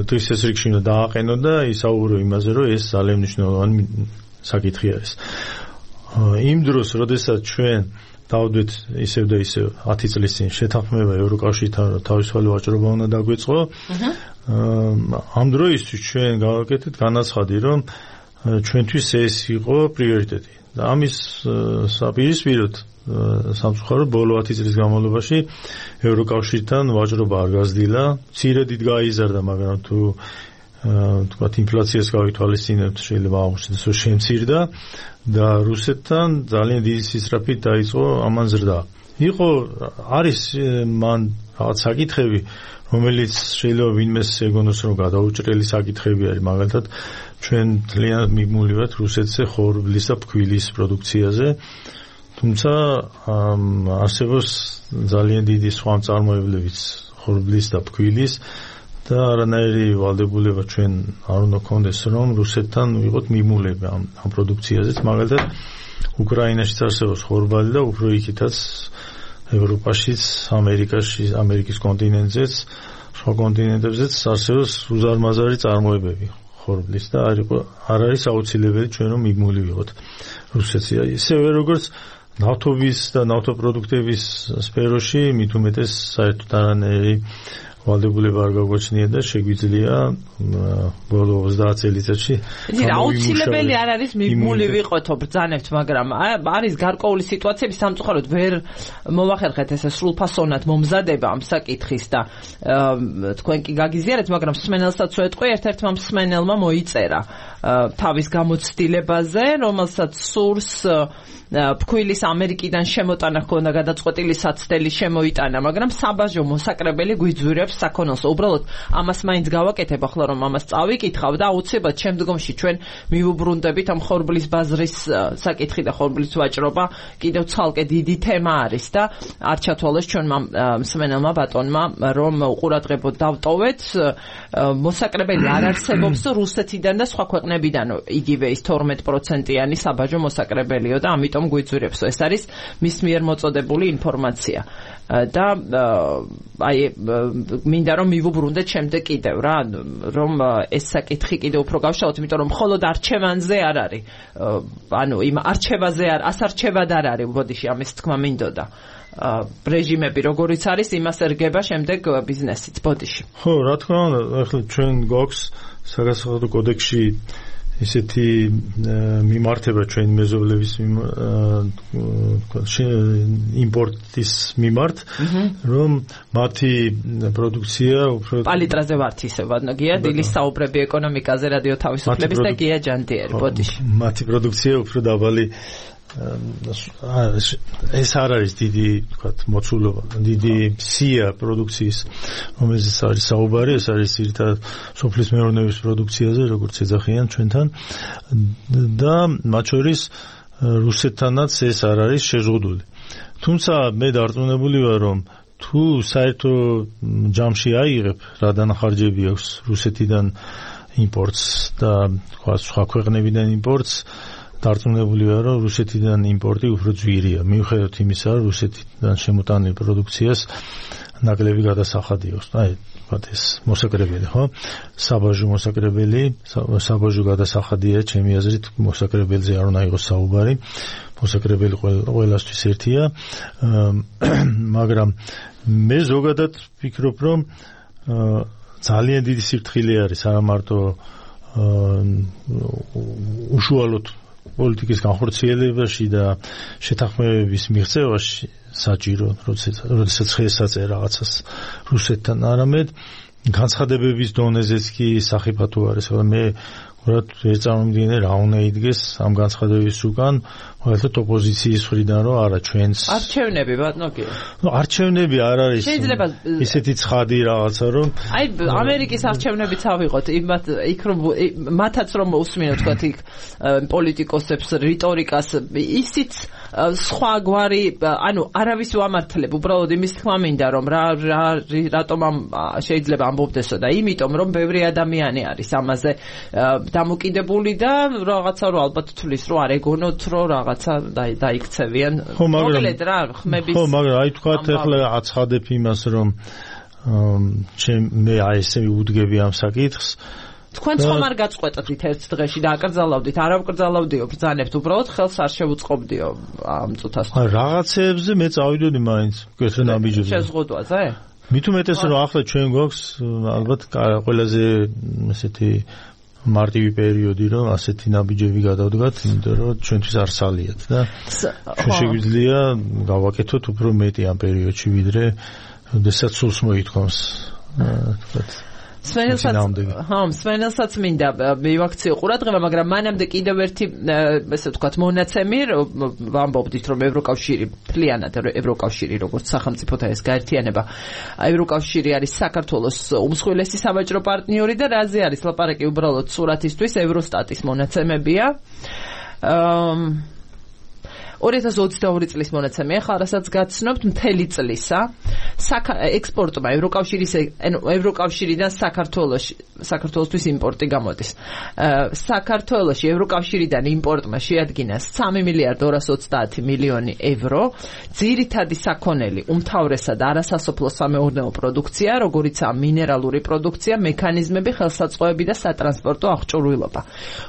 თვისებრიგში უნდა დააყენო და ისაუბრო იმაზე, რომ ეს ძალიან მნიშვნელოვანი საკითხი არის. იმ დროს, როდესაც ჩვენ დავდეთ ისევ და ისევ ათი წლის წინ შეთანხმება ევროკავშირთან, რომ თავისუფალი ვაჭრობა უნდა დაგვეწყო, ამ დროისთვის ჩვენ გავაკეთეთ განაცხადი, რომ ჩვენთვის ეს იყო პრიორიტეტი. და ამის საპირისპიროდ სამწუხაროდ ბოლო ათი წლის განმავლობაში ევროკავშირთან ვაჭრობა არ გაზრდილა, მცირედით გაიზარდა, მაგრამ თუ თქვათ ინფლაციას გავითვალისწინებთ, შეიძლება აღმოჩნდეს, რომ შემცირდა და რუსეთთან ძალიან დიდი სისწრაფით დაიწყო ამან ზრდა. იყო არის მან რაღაც საკითხები, რომელიც შეიძლება ვინმეს ეგონოს, რომ გადაუჭრელი საკითხები არის, მაგალითად ჩვენ ძალიან მიბმული ვართ რუსეთზე ხორბლის და ფქვილის პროდუქციაზე, თუმცა არსებობს ძალიან დიდი სხვა მწარმოებლებიც ხორბლის და ფქვილის და არანაირი ვალდებულება ჩვენ არ უნდა გქონდეს, რომ რუსეთთან ვიყოთ მიბმულები ამ, ამ პროდუქციაზეც. მაგალითად უკრაინაშიც არსებობს ხორბალი და უფრო იქითაც ევროპაშიც, ამერიკაში, ამერიკის კონტინენტზეც, სხვა კონტინენტებზეც არსებობს უზარმაზარი წარმოებები ხორბლის და არ იყო არ არის აუცილებელი ჩვენ რომ მიბმული ვიყოთ რუსეთზე. ისევე როგორც ნავთობის და ნავთობპროდუქტების სფეროში მით უმეტეს საერთოდ არანაირი ვალდებულება არ გაგვაჩნია და შეგვიძლია ბოლო ოცდაათ წელიწადში აუცილებელი არ არის მიბმული ვიყოთო ბრძანებთ, მაგრამ არის გარკვეული სიტუაციები, სამწუხაროდ ვერ მოვახერხეთ ესე სრულფასოვნად მომზადება ამ საკითხის და თქვენ კი გაგიზიარეთ, მაგრამ მსმენელსაც ვეთყვი, ერთ-ერთმა მსმენელმა მოიწერა თავის გამოცდილებაზე, რომელსაც სურს ფქვილის ამერიკიდან შემოტანა ჰქონდა გადაწყვეტილი საცდელი შემოიტანა, მაგრამ საბაჟო მოსაკრებელი გვიძვირებს საქონელს. უბრალოდ ამას მაინც გავაკეთებ ახლა, რომ ამას წავიკითხავ და აუცილებლად შემდგომში ჩვენ მივუბრუნდებით ამ ხორბლის ბაზრის საკითხი და ხორბლის ვაჭრობა კიდევ ცალკე დიდი თემა არის და არ ჩათვალეს ჩვენმა მსმენელმა ბატონმა, რომ უყურადღებოდ დავტოვეთ, მოსაკრებელი არ არსებობს რუსეთიდან და სხვა ქვეყნებიდან, იგივე ის თორმეტ პროცენტიანი საბაჟო მოსაკრებელიო და ამიტომ გვიძვირებს. ეს არის მის მიერ მოწოდებული ინფორმაცია და აი მინდა რომ მივუბრუნდეთ შემდეგ კიდევ რა, რომ ეს საკითხი კიდევ უფრო გავშალოთ, იმიტომ რომ მხოლოდ არჩევანზე არ არის, ანუ იმ არჩევაზე არ ასარჩევად არ არის, ბოდიში ამის თქმა მინდოდა. რეჟიმები როგორიც არის, იმას ერგება შემდეგ ბიზნესიც, ბოდიში. ხო, რა თქმა უნდა, ახლა ჩვენ გვაქვს საგასახადო კოდექსში ისეთი მიმართება ჩვენი მეზობლების იმპორტის მიმართ, რომ მათი პროდუქცია უფრო პალიტრაზე ვართ ისე ვადნაგია დილის საუბრები ეკონომიკაზე რადიო თავისუფლების და გია ჯანდიერი, ბოდიში. მათი პროდუქცია უფრო დაბალი ეს არ არის დიდი, თქვათ, მოცულობა, დიდი სია პროდუქციის, რომელზეც არის საუბარი, ეს არის ძირითადად სოფლის მეურნეობის პროდუქციაზე, როგორც ეძახიან ჩვენთან და მათ შორის რუსეთთანაც ეს არ არის შეზღუდული. თუმცა მე დარწმუნებული ვარ, რომ თუ საერთო ჯამში აიღებ, რა დანახარჯები აქვს რუსეთიდან იმპორტს და სხვა ქვეყნებიდან იმპორტს, დარწმუნებული ვარ, რომ რუსეთიდან იმპორტი უფრო ძვირია. მიუხედავად იმისა, რომ რუსეთიდან შემოტანილ პროდუქციას ნაკლები გადასახადი აქვს. აი, ვთქვათ ეს მოსაკრებელი, ხო? საბაჟო მოსაკრებელი, საბაჟო გადასახადია, ჩემი აზრით, მოსაკრებელზე არ უნდა იყოს საუბარი. მოსაკრებელი ყველასთვის ერთია, მაგრამ მე ზოგადად ვფიქრობ, რომ ძალიან დიდი სიფრთხილე არის არა მარტო უშუალოდ პოლიტიკის განხორციელებაში და შეთანხმებების მიღწევაში საჭირო, როდესაც ხელსაწერა რაღაცას რუსეთთან, არამედ განცხადებების დონეზეც კი სახიფათო არის. მე უბრალოდ ეს წარმომიდგენია რა უნდა იდგეს ამ განცხადების უკან, მაგალითად ოპოზიციის მხრიდან რომ არა ჩვენს არჩევნები ბატონო კი. ნუ არჩევნები არ არის შეიძლება ისეთი ცხადი რაღაცა რომ აი ამერიკის არჩევნებიც ავიღოთ იმათ იქ რომ მათაც რომ უსმინოთ თქვათ იქ პოლიტიკოსებს რიტორიკას ისიც სხვა გვარი ანუ არავის ვამართლებ უბრალოდ იმის თქმა მინდა რომ რა რატომ ამ შეიძლება ამბობდესო და იმიტომ რომ ბევრი ადამიანი არის ამაზე დამოკიდებული და რაღაცა რო ალბათ თulis რო არ ეგონოთ რო რაღაცა დაიქცევიან მოგლედ რა ხმების ხო მაგრამ აი თქვათ ახლა აცხადებ იმას რომ ჩემ მე აი ესე ვუდგები ამ საკითხს თქვენ ხომ არ გაწყვეტეთ ერთ დღეში და აკრძალავდით არ აკრძალავდიო ბრძანებთ უბრალოდ ხელს არ შევუწყობდიო ამ წუთას რაღაცეებზე მე წავიდოდი მაინც კეთრ ნაბიჯებზე შეზღუდვაზე მით უმეტეს რომ ახლა ჩვენ გვაქვს ალბათ ყველაზე ესეთი მარტივი პერიოდი რომ ასეთი ნაბიჯები გადავდგათ იმიტომ რომ ჩვენთვის არ სალიათ და ჩვენ შეგვიძლია გავაკეთოთ უფრო მეტი ამ პერიოდში ვიდრე როდესაც სულს მოითხოვს თქვათ სვენელსაც ხო სვენელსაც მინდა მივაქციო ყურადღება მაგრამ მანამდე კიდევ ერთი ესე ვთქვათ მონაცემი ვამბობდით რომ ევროკავშირი მთლიანად ევროკავშირი როგორც სახელმწიფოთა ეს გაერთიანება ევროკავშირი არის საქართველოს უმსხვილესი სავაჭრო პარტნიორი და რაზე არის ლაპარაკი უბრალოდ სურათისთვის ევროსტატის მონაცემებია ორი ათას ოცდაორი წლის მონაცემია, ახლა რასაც გაცნობთ მთელი წლისა, ექსპორტმა ევროკავშირის ევროკავშირიდან საქართველოში საქართველოსთვის იმპორტი გამოდის. საქართველოში ევროკავშირიდან იმპორტმა შეადგინა სამი მილიარდი ორას ოცდაათი მილიონი ევრო, ძირითადი საქონელი, უმთავრესად არასასოფლო სამეურნეო პროდუქცია, როგორიცაა მინერალური პროდუქცია, მექანიზმები, ხელსაწყოები და სატრანსპორტო აღჭურვილობა.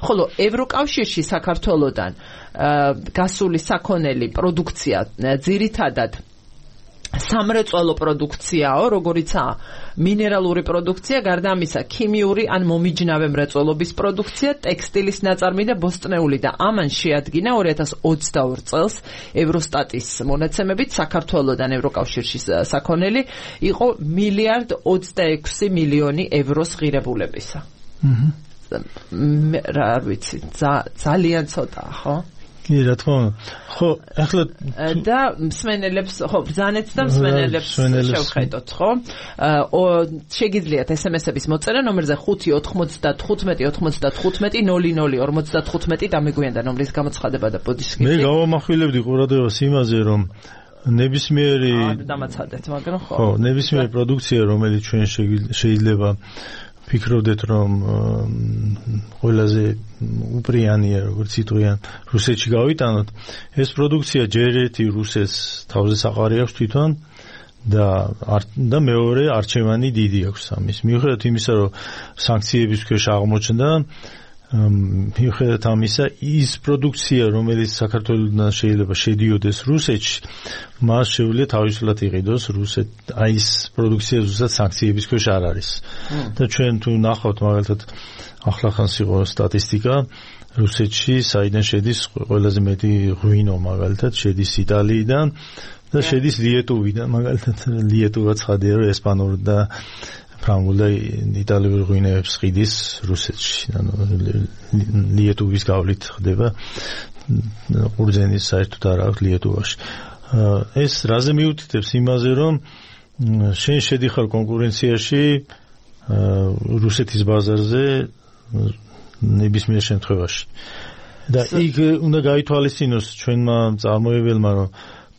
ხოლო ევროკავშირში საქართველოსთან გასული საქონელი პროდუქცია ძირითადად სამრეწველო პროდუქციაო, როგორიცაა მინერალური პროდუქცია, გარდა ამისა ქიმიური ან მომიჯნავე მრეწველობის პროდუქცია, ტექსტილის ნაწარმი და ბოსტნეული და ამან შეადგინა ორი ათას ოცდაორ წელს ევროსტატის მონაცემებით საქართველოსთან ევროკავშირში საქონელი იყო მილიარდ ოცდაექვსი მილიონი ევროს ღირებულებისა. აჰა. რა ვიცი, ძალიან ცოტაა, ხო? კი, რა თქმა უნდა. ხო, ახლა და მსმენელებს, ხო, ბრძანეთ და მსმენელებს შევხედოთ, ხო? შეგიძლიათ ეს ემ ესების მოწერა ნომერზე ხუთი ოთხმოცდათხუთმეტი ოცდათხუთმეტი ნული ნული ორმოცდათხუთმეტი დამიგვიანდა ნომრის გამოცხადება და ბოდიშკი. მე გავამახვილებდი ყურადღებას იმაზე, რომ ნებისმიერი დამაცადეთ, მაგრამ ხო. ხო, ნებისმიერი პროდუქცია, რომელიც ჩვენ შეიძლება ფიქრობდეთ რომ ყველაზე უპრიანია როგორც იტყვიან რუსეთში გავიტანოთ ეს პროდუქცია ჯერ ერთი რუსეთს თავზე საყარი აქვს თვითონ და და მეორე არჩევანი დიდი აქვს ამის მიუხედავად იმისა რომ სანქციების ქვეშ აღმოჩნდა მიუხედავად ამისა ის პროდუქცია რომელიც საქართველოსთან შეიძლება შედიოდეს რუსეთში მას შეუძლია თავისუფლად იყიდოს რუსეთ აი ეს პროდუქცია ზუსტად სანქციების ქვეშ არ არის და ჩვენ თუ ნახავთ მაგალითად ახლახანს იყო სტატისტიკა რუსეთში საიდან შედის ყველაზე მეტი ღვინო მაგალითად შედის იტალიიდან და შედის ლიეტუვიდან მაგალითად ლიეტუვა ცხადია რომ ესპანური და ფრანგული და იტალიური ღვინოებს ყიდის რუსეთში ანუ ლიეტუვის გავლით ხდება ყურძენის საერთოდ არ აქვს ლიეტუვაში ეს რაზე მიუთითებს იმაზე რომ შენ შედიხარ კონკურენციაში რუსეთის ბაზარზე ნებისმიერ შემთხვევაში და იქ უნდა გაითვალისწინოს ჩვენმა წარმოებელმა რომ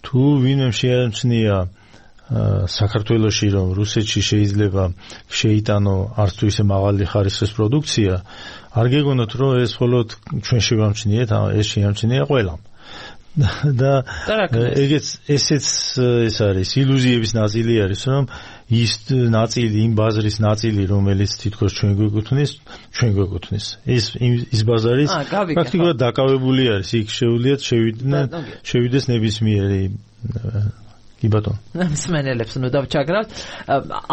თუ ვინმე შეამჩნია საქართველოში რომ რუსეთში შეიძლება შეიტანო არც თუ ისე მაღალი ხარისხის პროდუქცია არ გეგონოთ რომ ეს მხოლოდ ჩვენ შევამჩნიეთ ეს შეამჩნია ყველამ და ეგეც ესეც ეს არის ილუზიების ნაწილი არის რომ ის ნაწილი იმ ბაზრის ნაწილი რომელიც თითქოს ჩვენ გვეკუთვნის ჩვენ გვეკუთვნის ეს ის ბაზარი პრაქტიკულად დაკავებული არის იქ შეუძლიათ შევიდნენ შევიდეს ნებისმიერი კი ბატონო. მსმენელებს ნუ დავჩაგრავთ.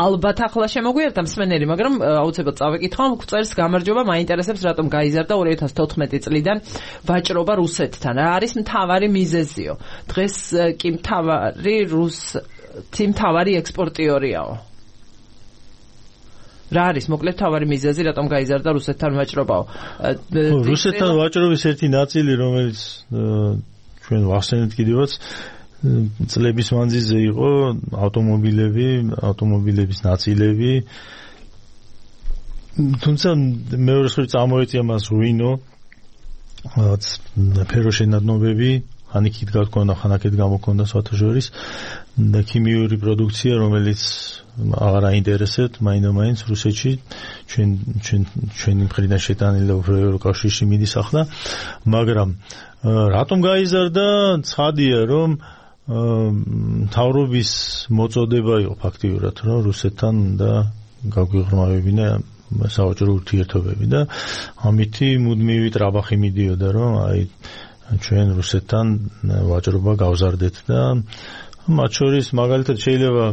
ალბათ ახლა შემოგვიერთდა მსმენელი, მაგრამ აუცილებლად წავეკითხავ, წერს გამარჯობა, მაინტერესებს რატომ გაიზარდა ორი ათას თოთხმეტი წლიდან ვაჭრობა რუსეთთან. რა არის მთავარი მიზეზიო? დღეს კი მთავარი რუსეთი მთავარი ექსპორტიორიაო. რა არის მოკლედ თავარი მიზეზი რატომ გაიზარდა რუსეთთან ვაჭრობაო? რუსეთთან ვაჭრობის ერთი ნაწილი რომელიც ჩვენ ვახსენეთ კიდევაც წლების მანძილზე იყო ავტომობილები, ავტომობილების ნაწილები. თუმცა მეორე მხრივ წამოეწია მას რუინო, ფეროშენადნობები, ხან იქით გაქონდა, ხან აქეთ გამოგონდა საერთაშორის და ქიმიური პროდუქცია, რომელიც აღარ აინტერესებთ მაინდა-მაინც რუსეთში, ჩვენ ჩვენ ჩვენი მხრიდან შეტანილი და უფრო ევროკავშირში მიდის ახლა, მაგრამ რატომ გაიზარდა? ცხადია, რომ მთავრობის მოწოდება იყო ფაქტიურად, რომ რუსეთთან და გაგვიღრმავებინა საოჯრო ურთიერთობები და ამითი მუდმივი ტრაბახი მიდიოდა, რომ აი ჩვენ რუსეთთან ვაჭრობა გავზარდეთ და მათ შორის მაგალითად შეიძლება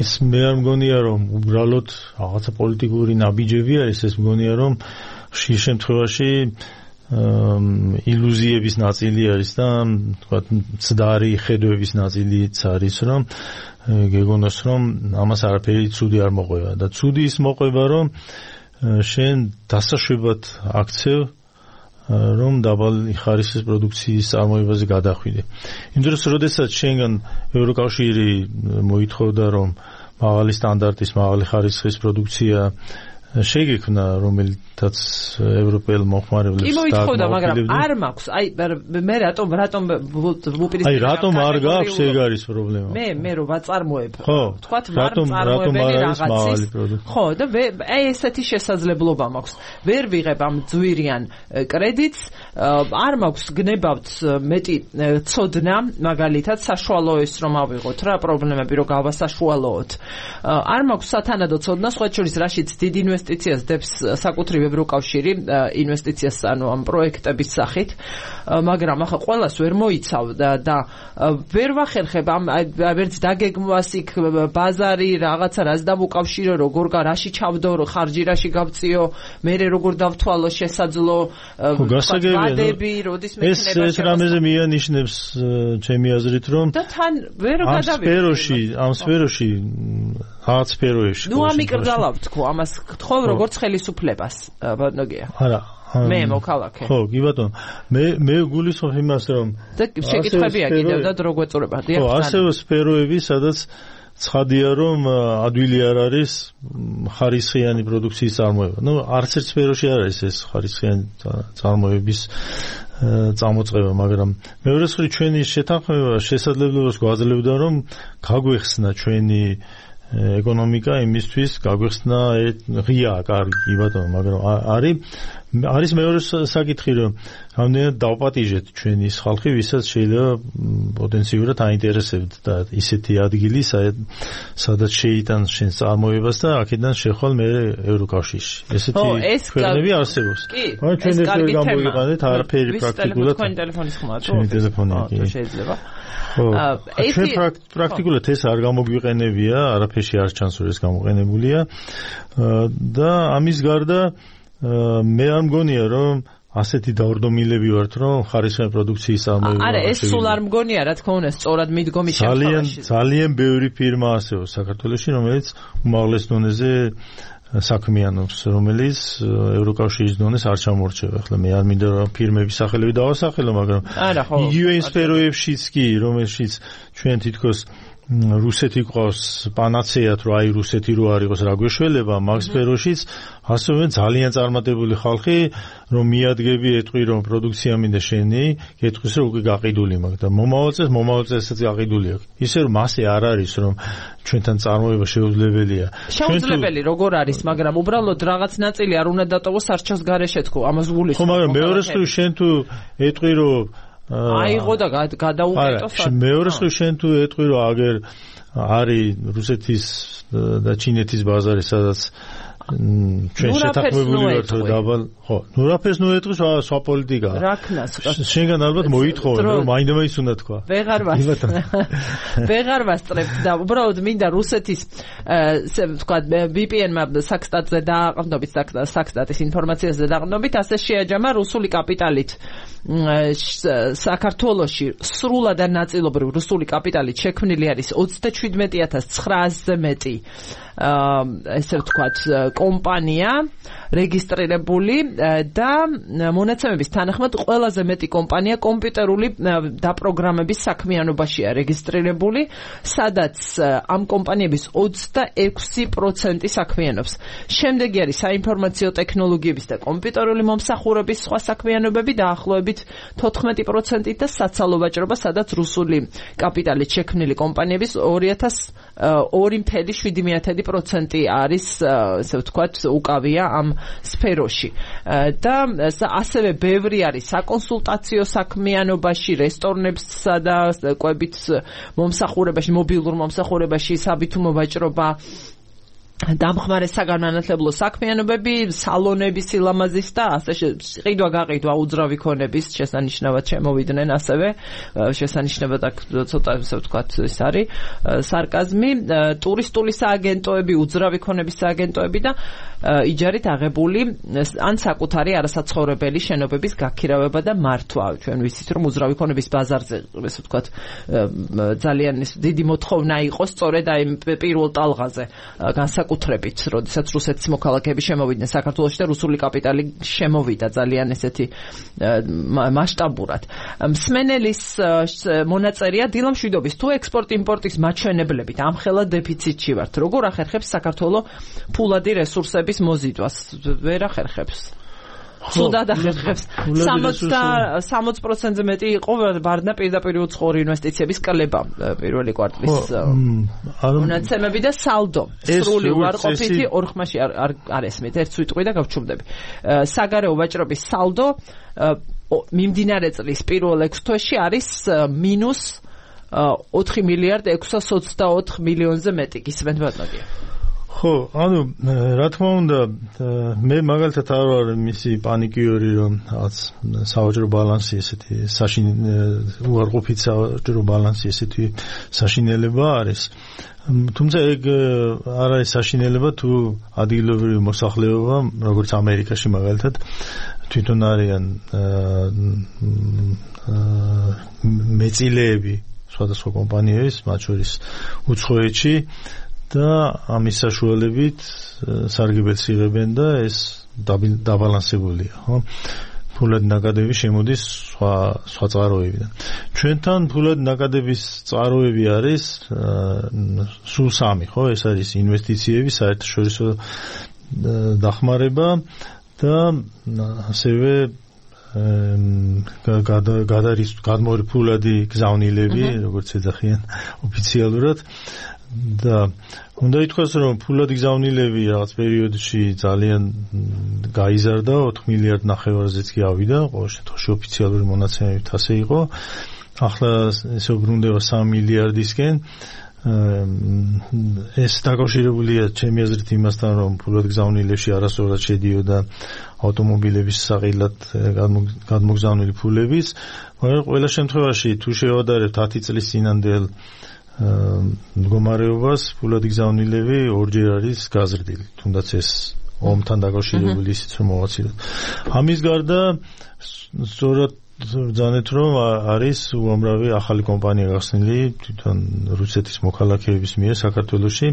ეს მე არ მგონია რომ უბრალოდ რაღაცა პოლიტიკური ნაბიჯები არის, ეს მგონია რომ ხშირ შემთხვევაში ილუზიების ნაწილი არის და თქვათ მცდარი ხედვების ნაწილიც არის, რომ გეგონოს რომ ამას არაფერი ცუდი არ მოყვება და ცუდი ის მოყვება, რომ შენ დასაშვებად აქცევ რომ დაბალი ხარისხის პროდუქციის წარმოებაზე გადახვიდე. იმ დროს, როდესაც შენგან ევროკავშირი მოითხოვდა, რომ მაღალი სტანდარტის, მაღალი ხარისხის პროდუქცია შეგექმნა, რომელთაც ევროპელ მოხმარებლებს კი მოითხოვდა, მაგრამ არ მაქვს. აი მე რატომ რატომ უპირისპირდება? აი რატომ არ გაქვს, ეგ არის პრობლემა. მე მე რო ვაწარმოებ, თქვათ ვარ წარმოებელი რაღაცის. ხო, და აი ესეთი შესაძლებლობა მაქვს. ვერ ვიღებ ამ ძვირიან კრედიტს, არ მაქვს გნებავთ მეტი ცოდნა, მაგალითად საშუალოების რომ ავიღოთ რა პრობლემები რო გავასაშუალოოთ. არ მაქვს სათანადო ცოდნა, სხვა შორის რაშიც დიდი ინვესტიციას დებს საკუთრივ ევროკავშირი ინვესტიციას ანუ ამ პროექტების სახით, მაგრამ ახლა ყველას ვერ მოიცავ და და ვერ ვახერხებ ამ ვერც დაგეგმვას იქ ბაზარი რაღაცა რაც დამუკავშირო, როგორ რაში ჩავდო, ხარჯი რაში გავწიო, მე როგორ დავთვალო შესაძლო ვადები, როდის მექნება ეს რამეზე მიანიშნებს ჩემი აზრით, რომ და თან ვერ გადავიღე. ამ სფეროში, ამ სფეროში რაღაც სფეროებში. ნუ ამიკრძალავ თქო, ამას გთხოვ როგორც ხელისუფლებას, ბატონოგია. არა. მე მოქალაქე. ხო, კი ბატონო. მე მე გულისხმობ იმას, რომ და შეკითხვებია კიდევ და დრო გვეწურება. ხო, ასევე სფეროები, სადაც ცხადია, რომ ადვილი არ არის ხარისხიანი პროდუქციის წარმოება. ნუ არც ერთ სფეროში არ არის ეს ხარისხიანი წარმოების წამოწყება, მაგრამ მეორე მხრივ ჩვენი შეთანხმება შესაძლებლობას გვაძლევდა, რომ გაგვეხსნა ჩვენი ეკონომიკა იმისთვის, გაგვეხსნა ღია, კარგი ბატონო, მაგრამ არის არის მეორე საკითხი, რომ რამდენად დავპატიჟეთ ჩვენი ხალხი, ვისაც შეიძლება პოტენციურად აინტერესებთ და ისეთი ადგილი, სადაც შეიტანს შენს წარმოებას და აქედან შეხვალ მე ევროკავშირში. ესეთი ქვეყნები არსებობს. მაგრამ ჩვენ ეს ვერ გამოიყენეთ არაფერი პრაქტიკულად. თქვენი ტელეფონის ხმა თუ? ჩვენი ტელეფონი კი. შეიძლება. ჩვენ პრაქტიკულად ეს არ გამოგვიყენებია, არაფერში არ ჩანს რომ ეს გამოყენებულია და ამის გარდა მე არ მგონია რომ ასეთი დავრდომილები ვართ რომ ხარისხიანი პროდუქციის წარმოება. არა, ეს სულ არ მგონია, რა თქმა უნდა, სწორად მიდგომი ძალიან ძალიან ბევრი ფირმა არსებობს საქართველოში, რომელიც უმაღლეს დონეზე საქმიანობს, რომელიც ევროკავშირის დონეს არ ჩამორჩება. ახლა მე არ მინდა რომ ფირმების სახელები დავასახელო, მაგრამ იგივე იმ სფეროებშიც კი, რომელშიც ჩვენ თითქოს რუსეთი ყავს პანაცეად, რომ აი რუსეთი რო არ იყოს რა გვეშველება, მაგ სფეროშიც ასევე ძალიან წარმატებული ხალხი, რომ მიადგები ეტყვი რომ პროდუქცია მინდა შენი, ეტყვის რომ უკვე გაყიდული მაქვს და მომავალ წელს მომავალ წელსაც გაყიდული აქვს. ისე რომ მასე არ არის რომ ჩვენთან წარმოება შეუძლებელია. შეუძლებელი როგორ არის, მაგრამ უბრალოდ რაღაც ნაწილი არ უნდა დატოვოს არჩევს გარეშე თქო, ამას გულისხმობ. ხო, მაგრამ მეორე მხრივ შენ თუ ეტყვი რომ აიღო და გადაუყეთო. მეორე მხრივ შენ თუ ეტყვი რომ აგერ არის რუსეთის და ჩინეთის ბაზარი, სადაც ჩვენ შეთანხმებული ვართ რომ დაბალ, ხო, ნუ რაფერს ნუ ეტყვის სხვა პოლიტიკაა. რა ქნას? შენგან ალბათ მოითხოვე, რომ მაინდა-მაინც უნდა თქვა. ვეღარ ვასწრებ. ვეღარ ვასწრებ და უბრალოდ მინდა რუსეთის თქვა ვი პი ენმა საქსტატზე დააყრდნობით, საქსტატის ინფორმაციაზე დააყრდნობით, ასე შეაჯამა რუსული კაპიტალით საქართველოში სრულად და ნაწილობრივ რუსული კაპიტალით შექმნილი არის ოცდაშვიდმეტი ათას ცხრაასზე მეტი ესე ვთქვათ, კომპანია რეგისტრირებული და მონაცემების თანახმად ყველაზე მეტი კომპანია კომპიუტერული დაპროგრამების საქმიანობაშია რეგისტრირებული, სადაც ამ კომპანიების ოცდაექვსი პროცენტი საქმიანობს. შემდეგი არის საინფორმაციო ტექნოლოგიების და კომპიუტერული მომსახურების სხვა საქმიანობები დაახლოებით თოთხმეტი პროცენტით და საცალო ვაჭრობა, სადაც რუსული კაპიტალით შექმნილი კომპანიების ორი წელი შვიდი პროცენტი არის, ესე ვთქვათ, უკავია ამ სფეროში. და ასევე ბევრი არის საკონსულტაციო საქმიანობაში, რესტორნებსა და კვებით მომსახურებაში, მობილურ მომსახურებაში, საბითუმო ვაჭრობა, დამხმარე საგანმანათლებლო საქმიანობები, სალონები სილამაზის და ასე ყიდვა გაყიდვა უძრავი ქონების შესანიშნავად შემოვიდნენ ასევე შესანიშნავად აქ ცოტა ასე ვთქვათ ის არის სარკაზმი, ტურისტული სააგენტოები, უძრავი ქონების სააგენტოები და იჯარით აღებული ან საკუთარი არასაცხოვრებელი შენობების გაქირავება და მართვა. ჩვენ ვიცით რომ უძრავი ქონების ბაზარზე ასე ვთქვათ ძალიან დიდი მოთხოვნა იყო სწორედ აი პირველ ტალღაზე განსაკუთრებით, როდესაც რუსეთის მოქალაქეები შემოვიდნენ საქართველოში და რუსული კაპიტალი შემოვიდა ძალიან ესეთი მასშტაბურად. მსმენელის მონაწერია დილა მშვიდობის, თუ ექსპორტ-იმპორტის მაჩვენებლებით ამხელა დეფიციტში ვართ, როგორ ახერხებს საქართველოს ფულადი რესურსების მოზიდვას? ვერ ახერხებს. სულად ახერხებს. სამოცი პროცენტზე მეტი იყო ვარდნა პირდაპირ უცხოური ინვესტიციების კლება პირველი კვარტლის მონაცემები და სალდო. სრული უარყოფითი ორ ხმაში არ ესმით, ერთ სიტყვი და გავჩუმდები. საგარეო ვაჭრობის სალდო მიმდინარე წლის პირველ ექვს თვეში არის მინუს ოთხი მილიარდ ექვსას ოცდაოთხ მილიონზე მეტი. გისმენთ ბატონო? ხო, ანუ რა თქმა უნდა, მე მაგალითად არ ვარ მისი პანიკიორი, რომ რაღაც სავაჭრო ბალანსი ესეთი უარყოფით სავაჭრო ბალანსი ესეთი საშინელება არის. თუმცა ეგ არ არის საშინელება თუ ადგილობრივი მოსახლეობა, როგორც ამერიკაში მაგალითად, თვითონ არიან მეწილეები სხვადასხვა კომპანიების, მათ შორის უცხოეთში და ამის საშუალებით სარგებელს იღებენ და ეს დაბალანსებულია, ხო? ფულადი ნაკადები შემოდის სხვა სხვა წყაროებიდან. ჩვენთან ფულადი ნაკადების წყაროები არის სულ სამი, ხო? ეს არის ინვესტიციები, საერთაშორისო დახმარება და ასევე გადარის გადმორი ფულადი გზავნილები, როგორც ეძახიან ოფიციალურად. და უნდა ითქვას, რომ ფულადი გზავნილები რაღაც პერიოდში ძალიან გაიზარდა, ოთხ მილიარდ ნახევარზეც კი ავიდა, ყოველ შემთხვევაში ოფიციალური მონაცემებით ასე იყო. ახლა ესე უბრუნდება სამი მილიარდისკენ. ეს დაკავშირებულია ჩემი აზრით იმასთან, რომ ფულადი გზავნილებში არასწორად შედიოდა ავტომობილების საყიდლად გადმოგზავნილი ფულების, მაგრამ ყველა შემთხვევაში თუ შევადარებთ ათი წლის წინანდელ მდგომარეობას, ფულადი გზავნილები ორჯერ არის გაზრდილი, თუნდაც ეს ომთან დაკავშირებული ისიც რომ მოვაცილოთ. ამის გარდა სწორად ბრძანეთ, რომ არის უამრავი ახალი კომპანია გახსნილი თვითონ რუსეთის მოქალაქეების მიერ საქართველოში.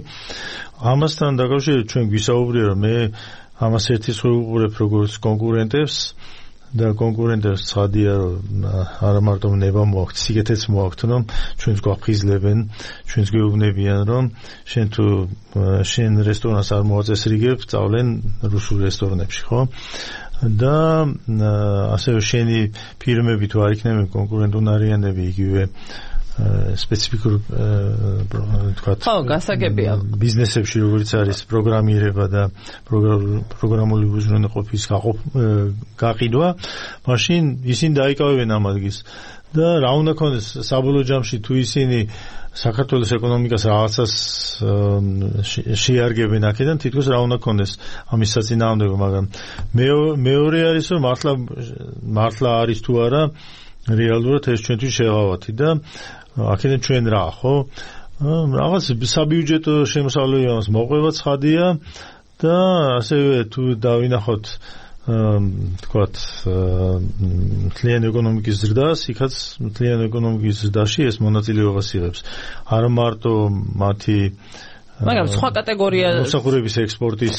ამასთან დაკავშირებით ჩვენ გვისაუბრია, რომ მე ამას ერთის ხო უყურებ როგორც კონკურენტებს და კონკურენტებს ცხადია, რომ არა მარტო ნება მოაქვთ, სიგეთეც მოაქვთ, რომ ჩვენს გვაფხიზლებენ, ჩვენს გვეუბნებიან, რომ შენ თუ შენ რესტორანს არ მოაწესრიგებ, წავლენ რუსულ რესტორნებში, ხო? და ასევე შენი ფირმები თუ არ იქნებიან კონკურენტუნარიანები, იგივე სპეციფიკურ თქვათ ბიზნესებში, როგორც არის პროგრამირება და პროგრამული უზრუნველყოფის გაყიდვა, მაშინ ისინი დაიკავებენ ამ ადგილს. და რა უნდა ქონდეს საბოლოო ჯამში, თუ ისინი საქართველოს ეკონომიკას რაღაცას შეარგებენ აქედან, თითქოს რა უნდა ქონდეს ამის საწინააღმდეგო, მაგრამ მეორე არის, რომ მართლა მართლა არის თუ არა რეალურად ეს ჩვენთვის შეღავათი და აქედან ჩვენ რა, ხო? რაღაც საბიუჯეტო შემოსავლები ამას მოყვება ცხადია და ასევე თუ დავინახოთ თქვათ მთლიანი ეკონომიკის ზრდას, იქაც მთლიანი ეკონომიკის ზრდაში ეს მონაწილეობას იღებს. არა მარტო მათი მაგრამ სხვა კატეგორია მოსახურების ექსპორტის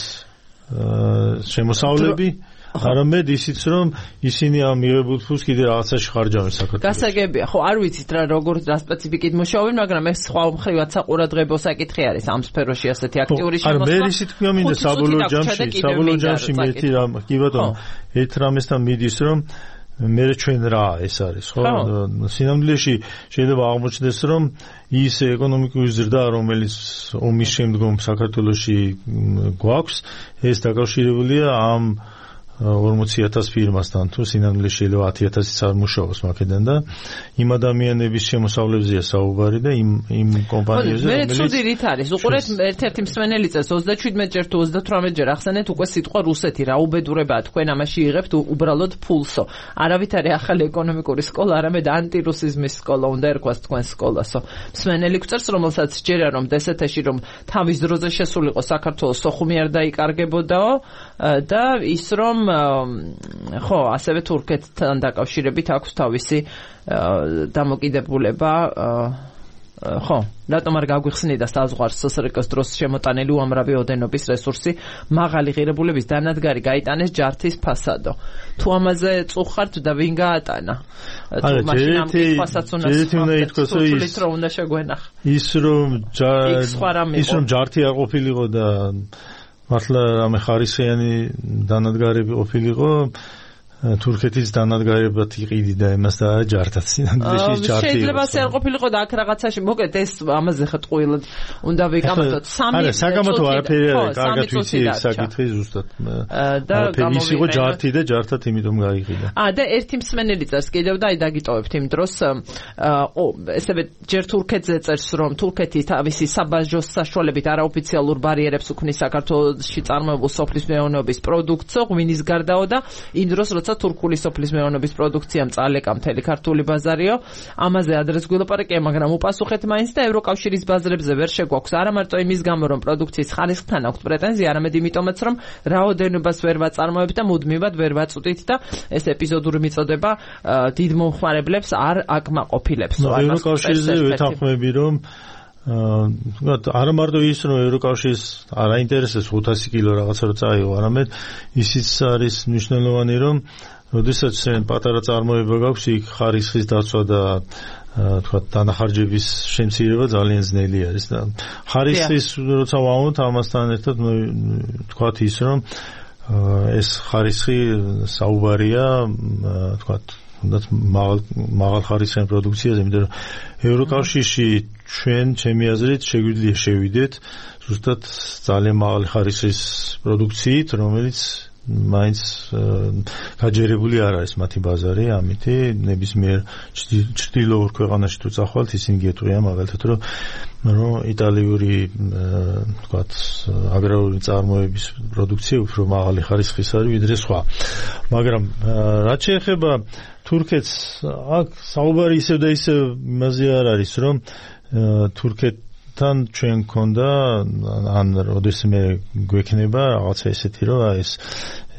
შემოსავლები არამედ ისიც რომ ისინი ამ მიღებულ ფულს კიდე რაღაცაში ხარჯავენ საქართველოს. გასაგებია, ხო, არ ვიცით რა როგორ რა სპეციფიკით მუშაობენ, მაგრამ ეს სხვა მხრივად საყურადღებო საკითხი არის ამ სფეროში ასეთი აქტიური შემოსვლა. არა, მე ისიც თქვია მინდა საბოლოო ჯამში, საბოლოო ჯამში მე ერთი რამ, კი ბატონო, ერთ რამესთან მიდის რომ მე ჩვენ რა ეს არის, ხო? სინამდვილეში შეიძლება აღმოჩნდეს რომ ის ეკონომიკური ზრდა, რომელიც ომის შემდგომ საქართველოში გვაქვს, ეს დაკავშირებულია ამ ორმოცი ათას ფირმასთან, თუ სინამდვილეში შეიძლება ათი ათასიც არ მუშაობს მაქედან და იმ ადამიანების შემოსავლებზეა საუბარი და იმ იმ კომპანიებზე, რომელიც მე ცუდი რით არის. უყურეთ ერთ-ერთი მსმენელი წელს ოცდაშვიდმეტ ჯერ თუ ოცდათვრამეტ ჯერ ახსენეთ უკვე სიტყვა რუსეთი, რა უბედურებაა თქვენ ამაში იღებთ უბრალოდ ფულსო. არავით არის ახალი ეკონომიკური სკოლა, არამედ ანტირუსიზმის სკოლა უნდა ერქვას თქვენ სკოლასო. მსმენელი გვწერს, რომელსაც ჯერა რომ დსთ-ში რომ თავის დროზე შესულიყო საქართველოს სოხუმი არ დაიკარგებოდაო და ის რომ ხო, ასევე თურქეთთან დაკავშირებით აქვს თავისი დამოკიდებულება. ხო, რატომ არ გაგვიხსნიდა საზღვარს სსრკ-ს დროს შემოტანილი უამრავი ოდენობის რესურსი, მაღალი ღირებულების დანადგარი გაიტანეს ჯართის ფასადო. თუ ამაზე წუხართ და ვინ გაატანა? თუ მაშინ ამ ფასადს უნდა ითქვას რომ უნდა შეგვენახა. ის რომ ის რომ ჯართი არ ყოფილიყო და მართლა რამე ხარისხიანი დანადგარები ყოფილიყო, თურქეთის დანადგარებად იყიდი და იმას და ჯართაც სინამდვილეში ჯართი. შეიძლება ასე არ ყოფილიყო და აქ რაღაცაში მოკეთ ეს ამაზე ხტყვილად უნდა ვიკამათოთ. სამი არა, საგამოთო არაფერი არა, კარგად ვიცი ეს საკითხი ზუსტად. და ის იყო ჯართი და ჯართად იმიტომ გაიყიდა. აა და ერთი მსმენელი წერს კიდევ და აი დაგიტოვებთ იმ დროს ო ესევე ჯერ თურქეთზე წერს რომ თურქეთი თავისი საბაჟო საშუალებით არაოფიციალურ ბარიერებს უქმნის საქართველოში წარმოებულ სოფლის მეურნეობის პროდუქციო ღვინის გარდაო და იმ დროს როცა თურქული სოფლის მეურნეობის პროდუქციამ წალეკა მთელი ქართული ბაზარიო, ამაზე ადრეს გვილაპარაკია, მაგრამ უპასუხეთ მაინც და ევროკავშირის ბაზრებზე ვერ შეგვაქვს. არა მარტო იმის გამო, რომ პროდუქციის ხარისხთან აქვთ პრეტენზია, არამედ იმიტომაც, რომ რაოდენობას ვერ ვაწარმოებთ და მუდმივად ვერ ვაწვდით და ეს ეპიზოდური მიწოდება დიდ მომხმარებლებს არ აკმაყოფილებს. ევროკავშირზე ვეთანხმები, რომ არა მარტო ის რომ ევროკავშირს არ აინტერესებს ხუთასი კილო რაღაცა რო წაიღო, არამედ ისიც არის მნიშვნელოვანი რომ როდესაც პატარა წარმოება გაქვს, იქ ხარისხის დაცვა და თქვა დანახარჯების შემცირება ძალიან ძნელი არის და ხარისხის როცა ვამბობთ ამასთან ერთად თქვა ის რომ ეს ხარისხი საუბარია თქვა თუნდაც მაღალ მაღალ ხარისხიან პროდუქციაზე, იმიტომ რომ ევროკავშირში ჩვენ ჩემი აზრით შეგვიძლია შევიდეთ ზუსტად ძალიან მაღალი ხარისხის პროდუქციით, რომელიც მაინც გაჯერებული არ არის მათი ბაზარი, ამითი ნებისმიერ ჩრდილოურ ქვეყანაში თუ წახვალთ, ისინი გეტყვიან მაგალითად რომ რომ იტალიური თქვათ აგრარული წარმოების პროდუქცია უფრო მაღალი ხარისხის არის ვიდრე სხვა. მაგრამ რაც შეეხება თურქეთს, აქ საუბარი ისევ და ისევ იმაზე არ არის, რომ თურქეთთან ჩვენ გქონდა ან როდესმე გვექნება რაღაცა ესეთი, რომ ეს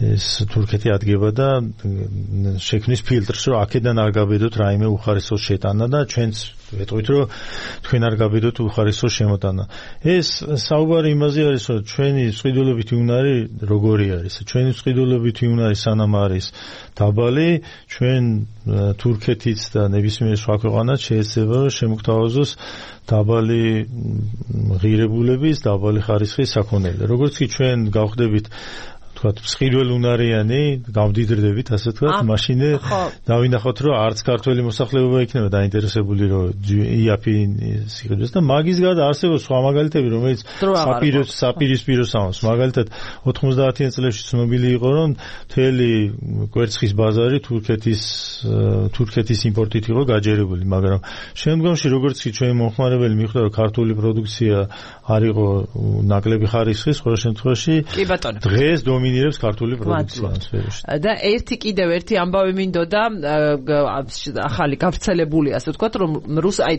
ეს თურქეთი ადგება და შექმნის ფილტრს, რომ აქედან არ გაბედოთ რაიმე უხარისო შეტანა და ჩვენც ვეტყვით, რომ თქვენ არ გაბედოთ უხარისო შემოტანა. ეს საუბარი იმაზე არის, რომ ჩვენი წყიდულობითი უნარი როგორი არის. ჩვენი წყიდულობითი უნარი სანამ არის დაბალი, ჩვენ თურქეთიც და ნებისმიერ სხვა ქვეყანაც შეიძლება რომ შემოგთავაზოს დაბალი ღირებულების, დაბალი ხარისხის საქონელი. როგორც კი ჩვენ გავხდებით თქვათ მსხვილუნარიანი გავდიდრდებით ასე თქვათ, მაშინ დავინახოთ რომ არც ქართველი მოსახლეობა იქნება დაინტერესებული რომ იაფი სიყიდოს და მაგის გარდა არსებობს სხვა მაგალითები, რომელიც საპირის საპირისპირო სამოს. მაგალითად ოთხმოცდაათიან წლებში ცნობილი იყო რომ მთელი კვერცხის ბაზარი თურქეთის თურქეთის იმპორტით იყო გაჯერებული, მაგრამ შემდგომში როგორც კი ჩვენი მომხმარებელი მიხვდა რომ ქართული პროდუქცია არ იყო ნაკლები ხარისხის, ყოველ შემთხვევაში დღეს დომინირებს დომინირებს ქართული პროდუქცია. და ერთი კიდევ ერთი ამბავი მინდოდა ახალი გავრცელებული ასე ვთქვათ რომ რუს აი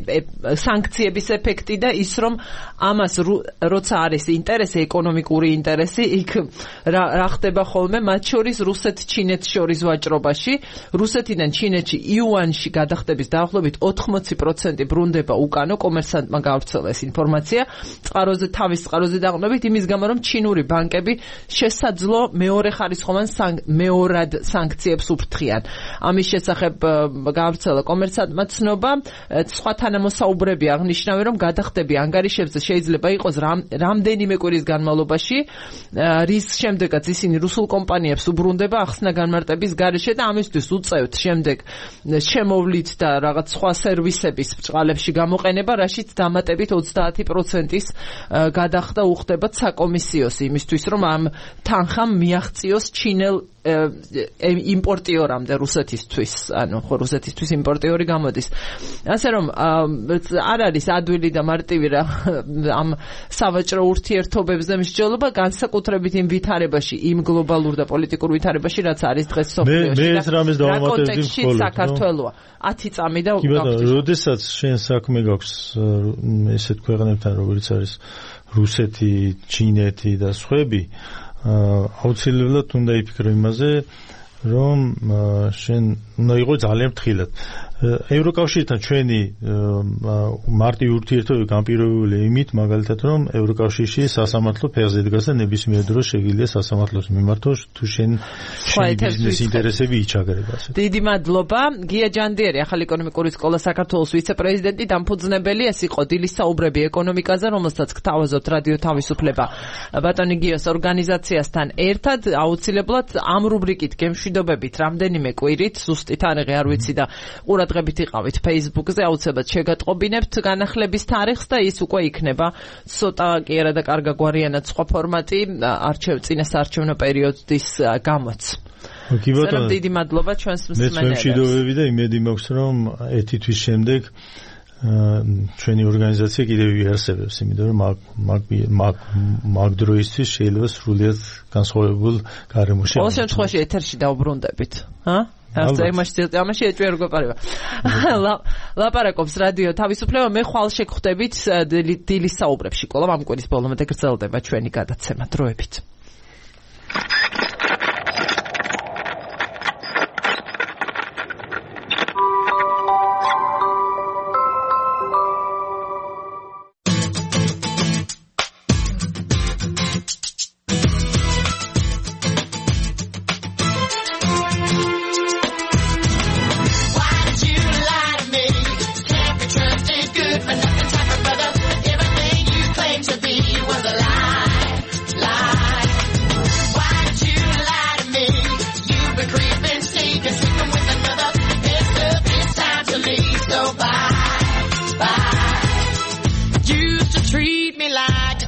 სანქციების ეფექტი და ის რომ ამას როცა არის ინტერესი ეკონომიკური ინტერესი იქ რა ხდება ხოლმე მათ შორის რუსეთ-ჩინეთს შორის ვაჭრობაში რუსეთიდან ჩინეთში იუანში გადახდების დაახლოებით ოთხმოცი პროცენტი ბრუნდება უკანო კომერსანტმა გავრცელა ეს ინფორმაცია წყაროზე თავის წყაროზე დაყრდნობით იმის გამო რომ ჩინური ბანკები შესაძლო მეორე ხარისხოვან მეორად სანქციებს უფრთხიან ამის შესახებ გავრცელა კომერსანტმა ცნობა სხვა თანამოსაუბრები აღნიშნავენ რომ გადახდები ანგარიშებზე შეიძლება იყოს რამდენიმე კვირის განმავლობაში რის შემდეგაც ისინი რუსულ კომპანიებს უბრუნდება ახსნა განმარტების გარეშე და ამისთვის უწევთ შემდეგ შემოვლით და რაღაც სხვა სერვისების ბჭყალებში გამოყენება რაშიც დამატებით ოცდაათი პროცენტის გადახდა უხდება საკომისიოს იმისთვის რომ ამ თანხამ მიაღწიოს ჩინელ იმპორტიორამდე რუსეთისთვის ანუ ხო რუსეთისთვის იმპორტიორი გამოდის ასე რომ არ არის ადვილი და მარტივი რა ამ სავაჭრო ურთიერთობებზე მსჯელობა განსაკუთრებით იმ ვითარებაში იმ გლობალურ და პოლიტიკურ ვითარებაში რაც არის დღეს სოფლიოში მე ეს რამეს დავამატებდი მხოლოდ საქართველოა ათი წამი და კი ბატონო როდესაც შენ საქმე გაქვს ესეთ ქვეყნებთან როგორც არის რუსეთი ჩინეთი და სხვები აუცილებლად უნდა იფიქრო იმაზე რომ შენ უნდა იყო ძალიან ფრთხილად ევროკავშირთან ჩვენი მარტივი ურთიერთობები განპირობებულია იმით მაგალითად რომ ევროკავშირში სასამართლო ფეხზე დგას და ნებისმიერ დროს შეგიძლია სასამართლოს მიმართოს თუ შენ შენი ბიზნეს ინტერესები იჩაგრება დიდი მადლობა გია ჯანდიერი ახალი ეკონომიკური სკოლა საქართველოს ვიცე-პრეზიდენტი დამფუძნებელი ეს იყო დილის საუბრები ეკონომიკაზე რომელსაც გთავაზობთ რადიო თავისუფლება ბატონი გიოს ორგანიზაციასთან ერთად აუცილებლად ამ რუბრიკით გემშვიდობებით რამდენიმე კვირით ზუსტი თარიღი არ ვიცი და ყურადღებით იყავით Facebook-ზე აუცილებლად შეგატყობინებთ განახლების თარიღს და ის უკვე იქნება ცოტა კი არა და კარგაგვარიანად სხვა ფორმატი არჩევ წინასაარჩევნო პერიოდის გამოც. კი ბატონო დიდი მადლობა ჩვენს მსმენელებს. მე მშვიდობები და იმედი მაქვს რომ ერთი თვის შემდეგ ჩვენი ორგანიზაცია კიდევ იარსებებს იმიტომ რომ მაგ მაგ დროისთვის შეიძლება სრულიად განსხვავებულ გარემოში ყოველ შემთხვევაში ეთერში დაუბრუნდებით ჰა ასე იმაში ამაში ეჭვი არ გვეპარება ლაპარაკობს რადიო თავისუფლება მე ხვალ შეგხვდებით დილის საუბრებში კოლამ ამ კვირის ბოლომდე გრძელდება ჩვენი გადაცემა დროებით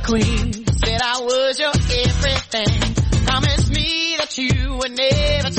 Queen, said I was your everything. Promised me that you would never